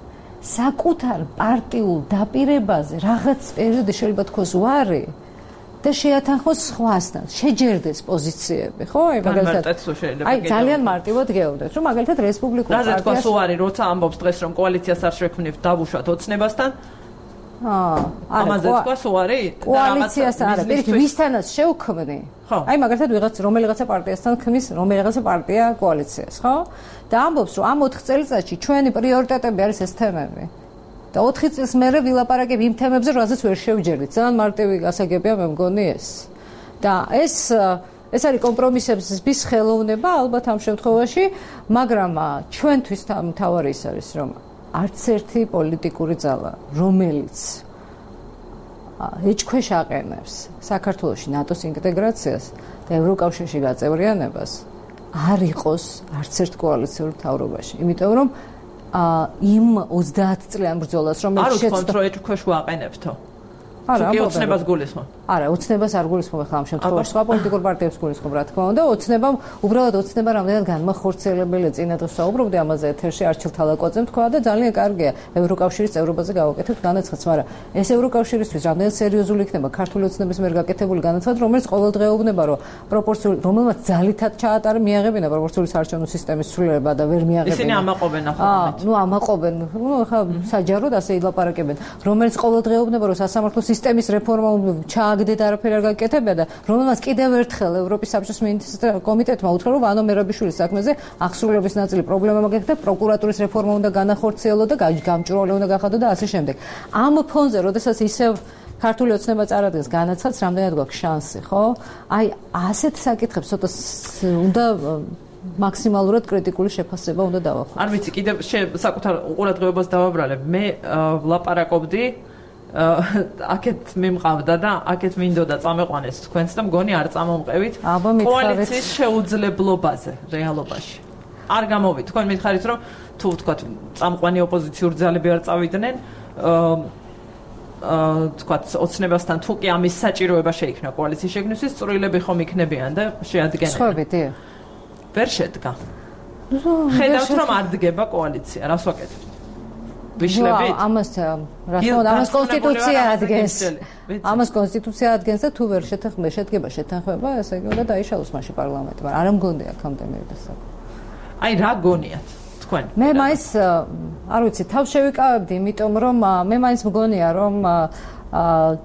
Speaker 4: საკუთარ პარტიულ დაპირებაზე რაღაც პერიოდი შეიძლება თქოს უარი და შეათანხმოს სხვასთან, შეჯერდეს პოზიციები, ხო? აი მაგალითად, აი ძალიან მარტივად გეუბნეთ, რომ მაგალითად რესპუბლიკურ პარტიას
Speaker 1: რაზე თქვას უარი, როცა ამბობს დღეს რომ კოალიციას არ შექმნით, დავუშვათ ოცნებასთან?
Speaker 4: აა,
Speaker 1: ამაზე თქვას უარი?
Speaker 4: კოალიციას არა, პირიქით, ვისთანაც შევქმნი? აი მაგალითად ვიღაც რომელიღაცა პარტიასთან ქმნის რომელიღაცა პარტია კოალიციას, ხო? და ამბობს, რომ ამ ოთხ წელიწადში ჩვენი პრიორიტეტები არის ეს თემები. და ოთხი წელს მერე ვილაპარაკებ იმ თემებზე, რაზეც ვერ შევჯერდით. ძალიან მარტივი გასაგებია მე მგონი ეს. და ეს ეს არის კომპრომისების ხელოვნება ალბათ ამ შემთხვევაში, მაგრამ ჩვენთვის მთავარი ის არის, რომ არც ერთი პოლიტიკური ძალა, რომელიც ეჭქვეშ აყენებს საქართველოში ნატოს ინტეგრაციას და ევროკავშირში გაწევრიანებას არ იყოს არც ერთ კოალიციურ მთავრობაში. იმიტომ რომ იმ ოცდაათ წლიან ბრძოლას რომელიც
Speaker 1: შეცდო არ ვთქვათ რომ ეჭქვეშ ვაყენებთო. არა, ოცნებას გულისხმობ.
Speaker 4: არა, ოცნებას არ გულისხმობ ახლა ამ შემთხვევაში. სხვა პოლიტიკურ პარტიებს გულისხმობ, რა თქმა უნდა, ოცნებამ უბრალოდ ოცნება რამდენად განმახორციელებელია წინა დღეს საუბრობდი ამაზე ეთერში არჩილ თალაკოძემ თქვა და ძალიან კარგია ევროკავშირის წევრობაზე გავაკეთებთ განაცხადს, მაგრამ ეს ევროკავშირისთვის რამდენად სერიოზული იქნება ქართული ოცნების მიერ გაკეთებული განაცხადი, რომელიც ყოველდღეობნება რომ პროპორციული, რომელმაც ძალითაც ჩაატარა მიაღებინა პროპორციული საარჩევნო სისტემის ცვლილება და ვერ მიაღებინა.
Speaker 1: ისინი ამაყობენ ახლა.
Speaker 4: აა, ნუ ამაყობენ. ნუ ახლა საჯაროდ ასე ილაპარაკებენ, რომელიც ყოველდღეობნება რომ სასამართლო სისტემის რეფორმა ჩააგდეთ არაფერი არ გაკეთებია და რომელმაც კიდევ ერთხელ ევროპის საბჭოს მინისტრთა კომიტეტმა უთხრა რომ ვანო მერაბიშვილის საქმეზე აღსრულების ნაწილი პრობლემა მაგექდა პროკურატურის რეფორმა უნდა განახორციელო და გამჭვირვალე უნდა გახადო და ასე შემდეგ. ამ ფონზე, როდესაც ისევ ქართული ოცნება წარადგენს განაცხადს, რამდენად გვაქვს შანსი, ხო? აი ასეთ საკითხებს ცოტა უნდა მაქსიმალურად კრიტიკული შეფასება უნდა დავახვიოთ.
Speaker 1: არ ვიცი, კიდევ საკუთარ ყურადღებას დავაბრალებ. მე ვლაპარაკობდი აქეთ მიმყავდა და აქეთ მინდოდა წამეყვანეს თქვენს და მგონი არ წამომყევით კოალიციის შეუძლებლობაზე რეალობაში. არ გამოვით. თქვენ მითხარით რომ თუ ვთქვათ წამყვანი ოპოზიციურ ძალები არ წავიდნენ, აა ვთქვათ ოცნებასთან თუ კი ამის საჭიროება შეიქმნა კოალიციის შექმნისთვის, წვრილები ხომ იქნებიან და შეადგენენ.
Speaker 4: სხვები, დიახ.
Speaker 1: ვერ შედგა. ხედავთ რომ არ დგება კოალიცია, რას ვაკეთებთ? ვიშლებით?
Speaker 4: ამას რა თქმა უნდა, ამას კონსტიტუცია ადგენს. ამას კონსტიტუცია ადგენს და თუ ვერ შეთანხმება, შედგება შეთანხმება, ესე იგი უნდა დაიშალოს მაშინ პარლამენტი, მაგრამ არ მგონია აქამდე მივიდასაკ.
Speaker 1: აი რა გონიათ თქვენ?
Speaker 4: მე მაინც არ ვიცი, თავს შევიკავებდი, იმიტომ რომ მე მაინც მგონია რომ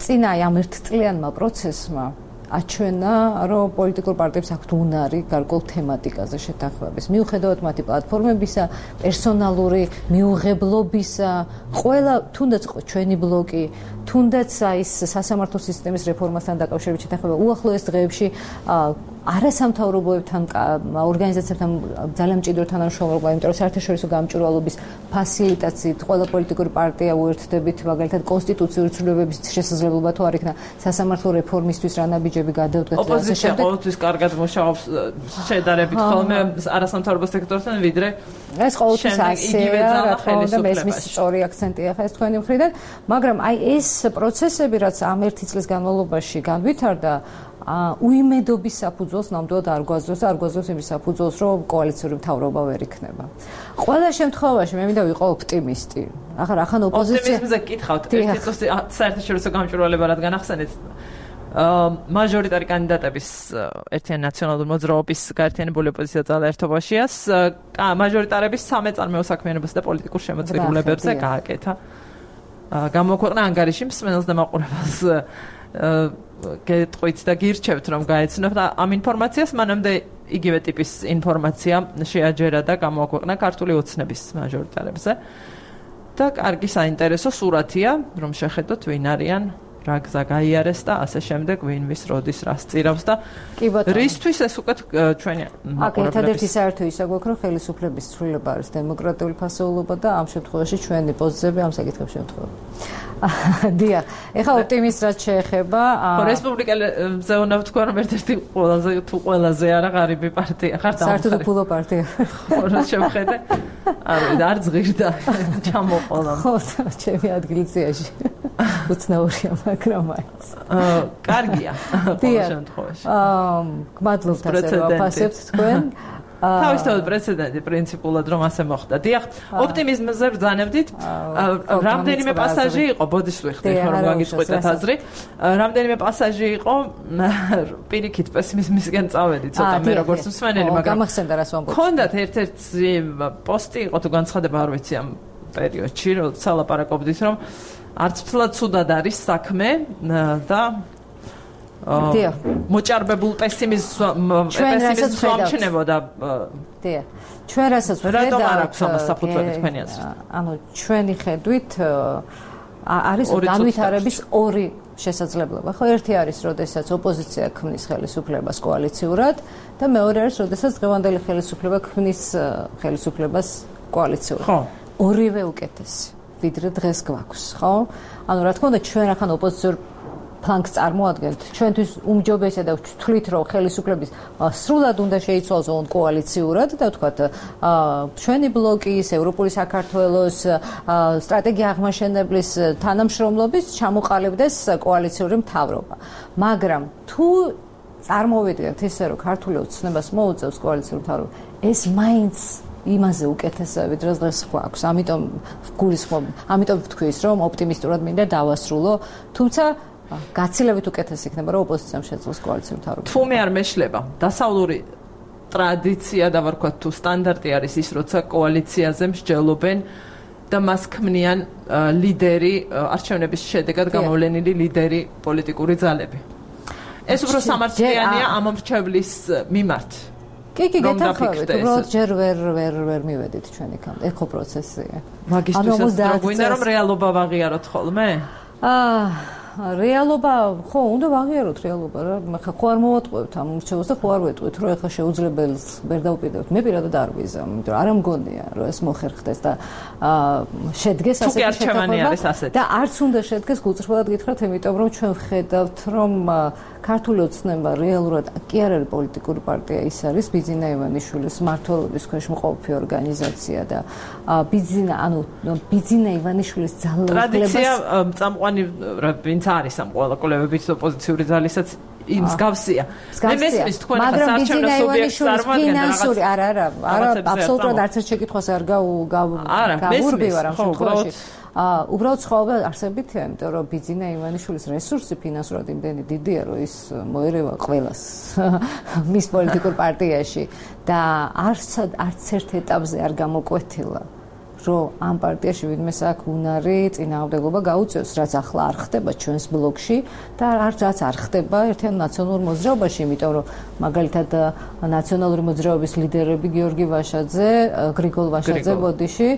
Speaker 4: წინა ამ ერთწლიანმა პროცესმა აჩვენა, რომ პოლიტიკურ პარტიებს აქვთ უნარი გარკვეულ თემატიკაზე შეთანხმების. მიუხედავად მათი პლატფორმებისა, პერსონალური მიუღებლობისა, ყველა თუნდაც ჩვენი ბლოკი, თუნდაც ის სასამართლო სისტემის რეფორმასთან დაკავშირებით შეთანხმება უახლოეს დღეებში არასამთავრობოებთან ორგანიზაციებთან ძალიან მჭიდრო თანამშრომლობა, იმიტომ რომ საერთაშორისო გამჭვირვალობის ფასილიტაციით ყველა პოლიტიკური პარტია უერთდებით, მაგალითად კონსტიტუციური ცვლილებების შესაძლებლობა თუ არ იქნა სასამართლო რეფორმისთვის რა ნაბიჯები გადავდგეთ და ასე შემდეგ.
Speaker 1: ოპოზიცია ყოველთვის კარგად მუშაობს შედარებით ხოლმე არასამთავრობო სექტორთან, ვიდრე
Speaker 4: ეს ყოველთვის ასეა, რა თქმა უნდა, მესმის სწორი აქცენტია ხა ეს თქვენი მხრიდან, მაგრამ აი ეს პროცესები, რაც ამ ერთი წლის განმავლობაში განვითარდა, უიმედობის საფუძველს ნამდვილად არ გვაძლევს, არ გვაძლევს იმის საფუძველს, რომ კოალიციური მთავრობა ვერ იქნება. ყველა შემთხვევაში მე მინდა ვიყო ოპტიმისტი. ახლა რახან ოპოზიცია
Speaker 1: ოპტიმიზმზე გითხავთ, ერთი წუთი საერთაშორისო გამჭვირვალება რადგან ახსენეთ. მაჟორიტარი კანდიდატების ერთიანი ნაციონალური მოძრაობის გაერთიანებული ოპოზიცია ძალაერთობაშიას მაჟორიტარების სამეწარმეო საქმიანობასა და პოლიტიკურ შემოწირულობებზე გააკეთა. გამოქვეყნა ანგარიში მსმენელს და მაყურებელს გეტყვით და გირჩევთ რომ გაეცნობთ ამ ინფორმაციას, მანამდე იგივე ტიპის ინფორმაცია შეაჯერა და გამოაქვეყნა ქართული ოცნების მაჟორიტარებზე. და კარგი საინტერესო სურათია, რომ შეხედოთ ვინ არიან, რა გზა გაიარეს და ასე შემდეგ, ვინ ვის როდის რას წირავს და რისთვის ეს უკვე ჩვენი
Speaker 4: აქ ერთადერთი საერთო ისა გვაქვს, რომ ხელისუფლების ცვლილება არის დემოკრატიული ფასეულობა და ამ შემთხვევაში ჩვენი პოზიციები ამ საკითხებში ემთხვევა. დიახ, ეხლა ოპტიმიზმს შეეხება
Speaker 1: რესპუბლიკელზე უნდა ვთქვა, რომ ერთ-ერთი ყველაზე თუ ყველაზე არა ღარიბი პარტია ხარ და
Speaker 4: საერთოდ ფულო პარტია.
Speaker 1: ხო, რა შევხედე? არ ვიცი, არ ზღირდა ჩამოყოლა.
Speaker 4: ხო, ჩემი ადგილზეაში. უცნაურია, მაგრამ მაინც.
Speaker 1: აა, კარგია ყოველ შემთხვევაში.
Speaker 4: აა, გმადლობთ ასე რომ აფასებთ თქვენ.
Speaker 1: თავისთავად პრეცედენტი პრინციპულად რომ ასე მოხდა. დიახ, ოპტიმიზმზე ბრძანებდით. რამდენიმე პასაჟი იყო, ბოდიშ ვიხდი, ხომ გაგიწყვეტეთ აზრი. რამდენიმე პასაჟი იყო, პირიქით პესიმიზმისკენ წავედი ცოტა მე როგორც მსმენელი, მაგრამ
Speaker 4: გამახსენდა რას ვამბობ.
Speaker 1: ქონდათ ერთ-ერთი პოსტი იყო თუ განცხადება არ ვიცი ამ პერიოდში, როცა ლაპარაკობდით რომ არც ფლად ცუდად არის საქმე და დიახ, მოჭარბებულ პესიმიზმს პესიმიზმს ვამჩნევოდა.
Speaker 4: დიახ. ჩვენ რასაც ვხედავთ,
Speaker 1: რატომ არ აქვს ამას საფუძველი თქვენი აზრით?
Speaker 4: ანუ ჩვენი ხედვით არის განვითარების ორი შესაძლებლობა. ხო, ერთი არის, როდესაც ოპოზიცია ქმნის ხელისუფლებას კოალიციურად და მეორე არის, როდესაც დღევანდელი ხელისუფლება ქმნის ხელისუფლებას კოალიციურად.
Speaker 1: ხო.
Speaker 4: ორივე უკეთესი, ვიდრე დღეს გვაქვს, ხო? ანუ რა თქმა უნდა, ჩვენ ახლა ოპოზიციურ ფლანგს წარმოადგენთ. ჩვენთვის უმჯობესია და ვთვლით, რომ ხელისუფლების სრულად უნდა შეიცვალოს ოღონდ კოალიციურად და ვთქვათ, ჩვენი ბლოკის, ევროპული საქართველოს სტრატეგია აღმაშენებლის თანამშრომლობის ჩამოყალიბდეს კოალიციური მთავრობა. მაგრამ თუ წარმოვიდგენთ ისე, რომ ქართული ოცნებას მოუწევს კოალიციური მთავრობა, ეს მაინც იმაზე უკეთესია, ვიდრე დღეს გვაქვს. ამიტომ გულისხმობ, ამიტომ ვთქვის, რომ ოპტიმისტურად მინდა დავასრულო, თუმცა გაცილებით უკეთესი იქნება, რომ ოპოზიციამ შეძლოს კოალიციური მთავრობა.
Speaker 1: თუ მე არ მეშლება, დასავლური ტრადიცია და ვარქვათ თუ სტანდარტი არის ის, როცა კოალიციაზე მსჯელობენ და მას ქმნიან ლიდერი, არჩევნების შედეგად გამოვლენილი ლიდერი პოლიტიკური ძალები. ეს უფრო სამართლიანია ამ მრჩევლის მიმართ.
Speaker 4: კი, კი, გეთანხმებით, უბრალოდ ჯერ ვერ ვერ ვერ მივედით ჩვენ იქამდე. ეხო პროცესია.
Speaker 1: მაგისთვისაც რო გვინდა რომ რეალობა ვაღიაროთ ხოლმე?
Speaker 4: აა რეალობა, ხო, უნდა ვაღიაროთ რეალობა რა. ხა ხო არ მოვატყუებთ ამ მრჩევლს და ხო არ ვეტყვით, რომ ეხლა შეუძლებელს ვერ დავუპირდებთ. მე პირადად არ ვიზამ, იმიტომ რომ არ მგონია, რომ ეს მოხერხდეს და აა შედგეს ასეთი შეთანხმება და არც უნდა შედგეს გულწრფელად გითხრათ, იმიტომ რომ ჩვენ ვხედავთ, რომ ქართული ოცნება რეალურად კი არ არის პოლიტიკური პარტია, ის არის ბიძინა ივანიშვილის მმართველობის ქვეშ მყოფი ორგანიზაცია და ბიძინა, ანუ ბიძინა ივანიშვილის ძალაუფლებას
Speaker 1: ტრადიცია წამყვანი ვინც არის ამ ყველა კოლევების ოპოზიციური ძალისაც იმ მსგავსია. მე მესმის თქვენ ახლა საარჩევნო სუბიექტს წარმოადგენთ
Speaker 4: ფინანსური, არა, არა, არა, აბსოლუტურად არც ერთ შეკითხვას არ გავურბივარ ამ შემთხვევაში. აა უბრალოდ ცხოვრება არსებითია, იმიტომ რომ ბიძინა ივანიშვილის რესურსი ფინანსურად იმდენი დიდია, რომ ის მოერევა ყველას მის პოლიტიკურ პარტიაში და არც არც ერთ ეტაპზე არ გამოკვეთილა, რომ ამ პარტიაში ვინმეს აქვს უნარი წინააღმდეგობა გაუწევს, რაც ახლა არ ხდება ჩვენს ბლოკში და არც რაც არ ხდება ერთიან ნაციონალურ მოძრაობაში, იმიტომ რომ მაგალითად ნაციონალური მოძრაობის ლიდერები გიორგი ვაშაძე, გრიგოლ ვაშაძე ბოდიში,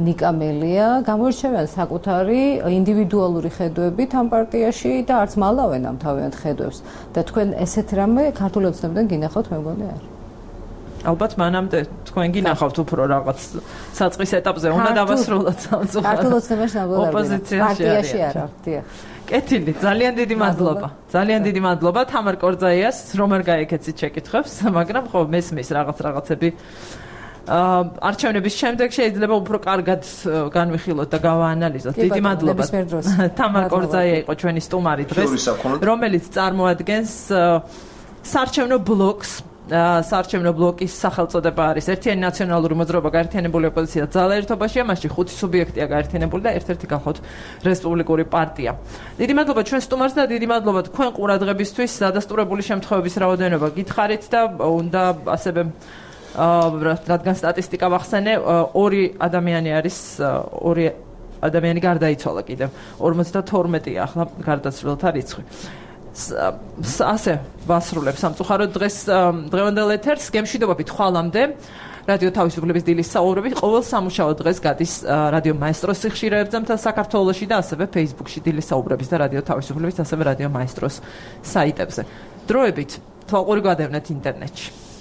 Speaker 4: ნიკა მელია გამოირჩევიან საკუთარი ინდივიდუალური ხედვებით ამ პარტიაში და არც მალავენ ამ თავიანთ ხედვებს და თქვენ ესეთ რამე ქართული ოცნებიდან გინახავთ, მე მგონი არ.
Speaker 1: ალბათ მანამდე თქვენ გინახავთ უფრო რაღაც საწყის ეტაპზე უნდა დავასრულოთ სამწუხაროდ.
Speaker 4: ქართულ ოცნებაში ნამდვილად პარტიაში არა, დიახ.
Speaker 1: კეთილი, ძალიან დიდი მადლობა. ძალიან დიდი მადლობა თამარ კორძაიას, რომ არ გაიქეცით შეკითხვებს, მაგრამ ხო მესმის რაღაც რაღაცები აა არჩევნების შემდეგ შეიძლება უფრო კარგად განვიხილოთ და გავაანალიზოთ. დიდი მადლობა. თამარ კორძაია იყო ჩვენი სტუმარი დღეს, რომელიც წარმოადგენს საარჩევნო ბლოკს საარჩევნო ბლოკის სახელწოდება არის ერთიანი ნაციონალური მოძრაობა გაერთიანებული ოპოზიცია ძალა ერთობაში, ამაში ხუთი სუბიექტია გაერთიანებული და ერთ-ერთი გახოთ რესპუბლიკური პარტია. დიდი მადლობა ჩვენ სტუმარს და დიდი მადლობა თქვენ ყურადღებისთვის. დადასტურებული შემთხვევების რაოდენობა გითხარით და უნდა ასევე რადგან სტატისტიკა ვახსენე, ორი ადამიანი არის, ორი ადამიანი გარდაიცვალა კიდევ. ორმოცდათორმეტია ახლა გარდაცვლილთა რიცხვი. ასე ვასრულებ სამწუხაროდ დღეს დღევანდელ ეთერს გემშვიდობებით ხვალამდე რადიო თავისუფლების დილის საუბრები ყოველ სამუშაო დღეს გადის რადიო მაესტროს სიხშირეებზე მთელ საქართველოში და ასევე Facebook-ში დილის საუბრების და რადიო თავისუფლების ასევე რადიო მაესტროს საიტებზე. დროებით თვალყური გადავნეთ ინტერნეტში.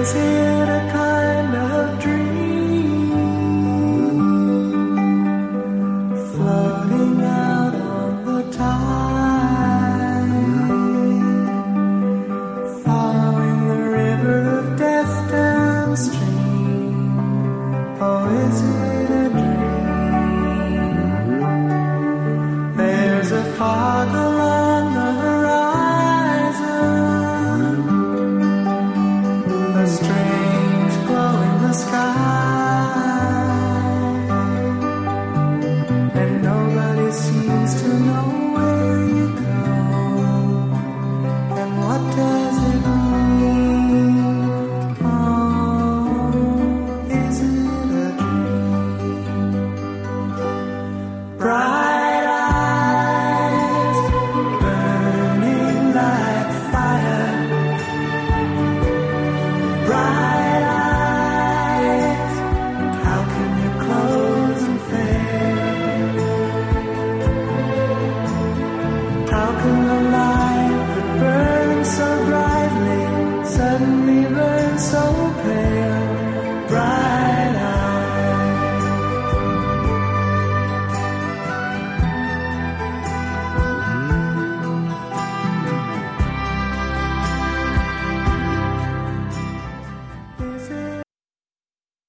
Speaker 5: is it a kind of dream floating out on the tide, following the river of death downstream? Or is it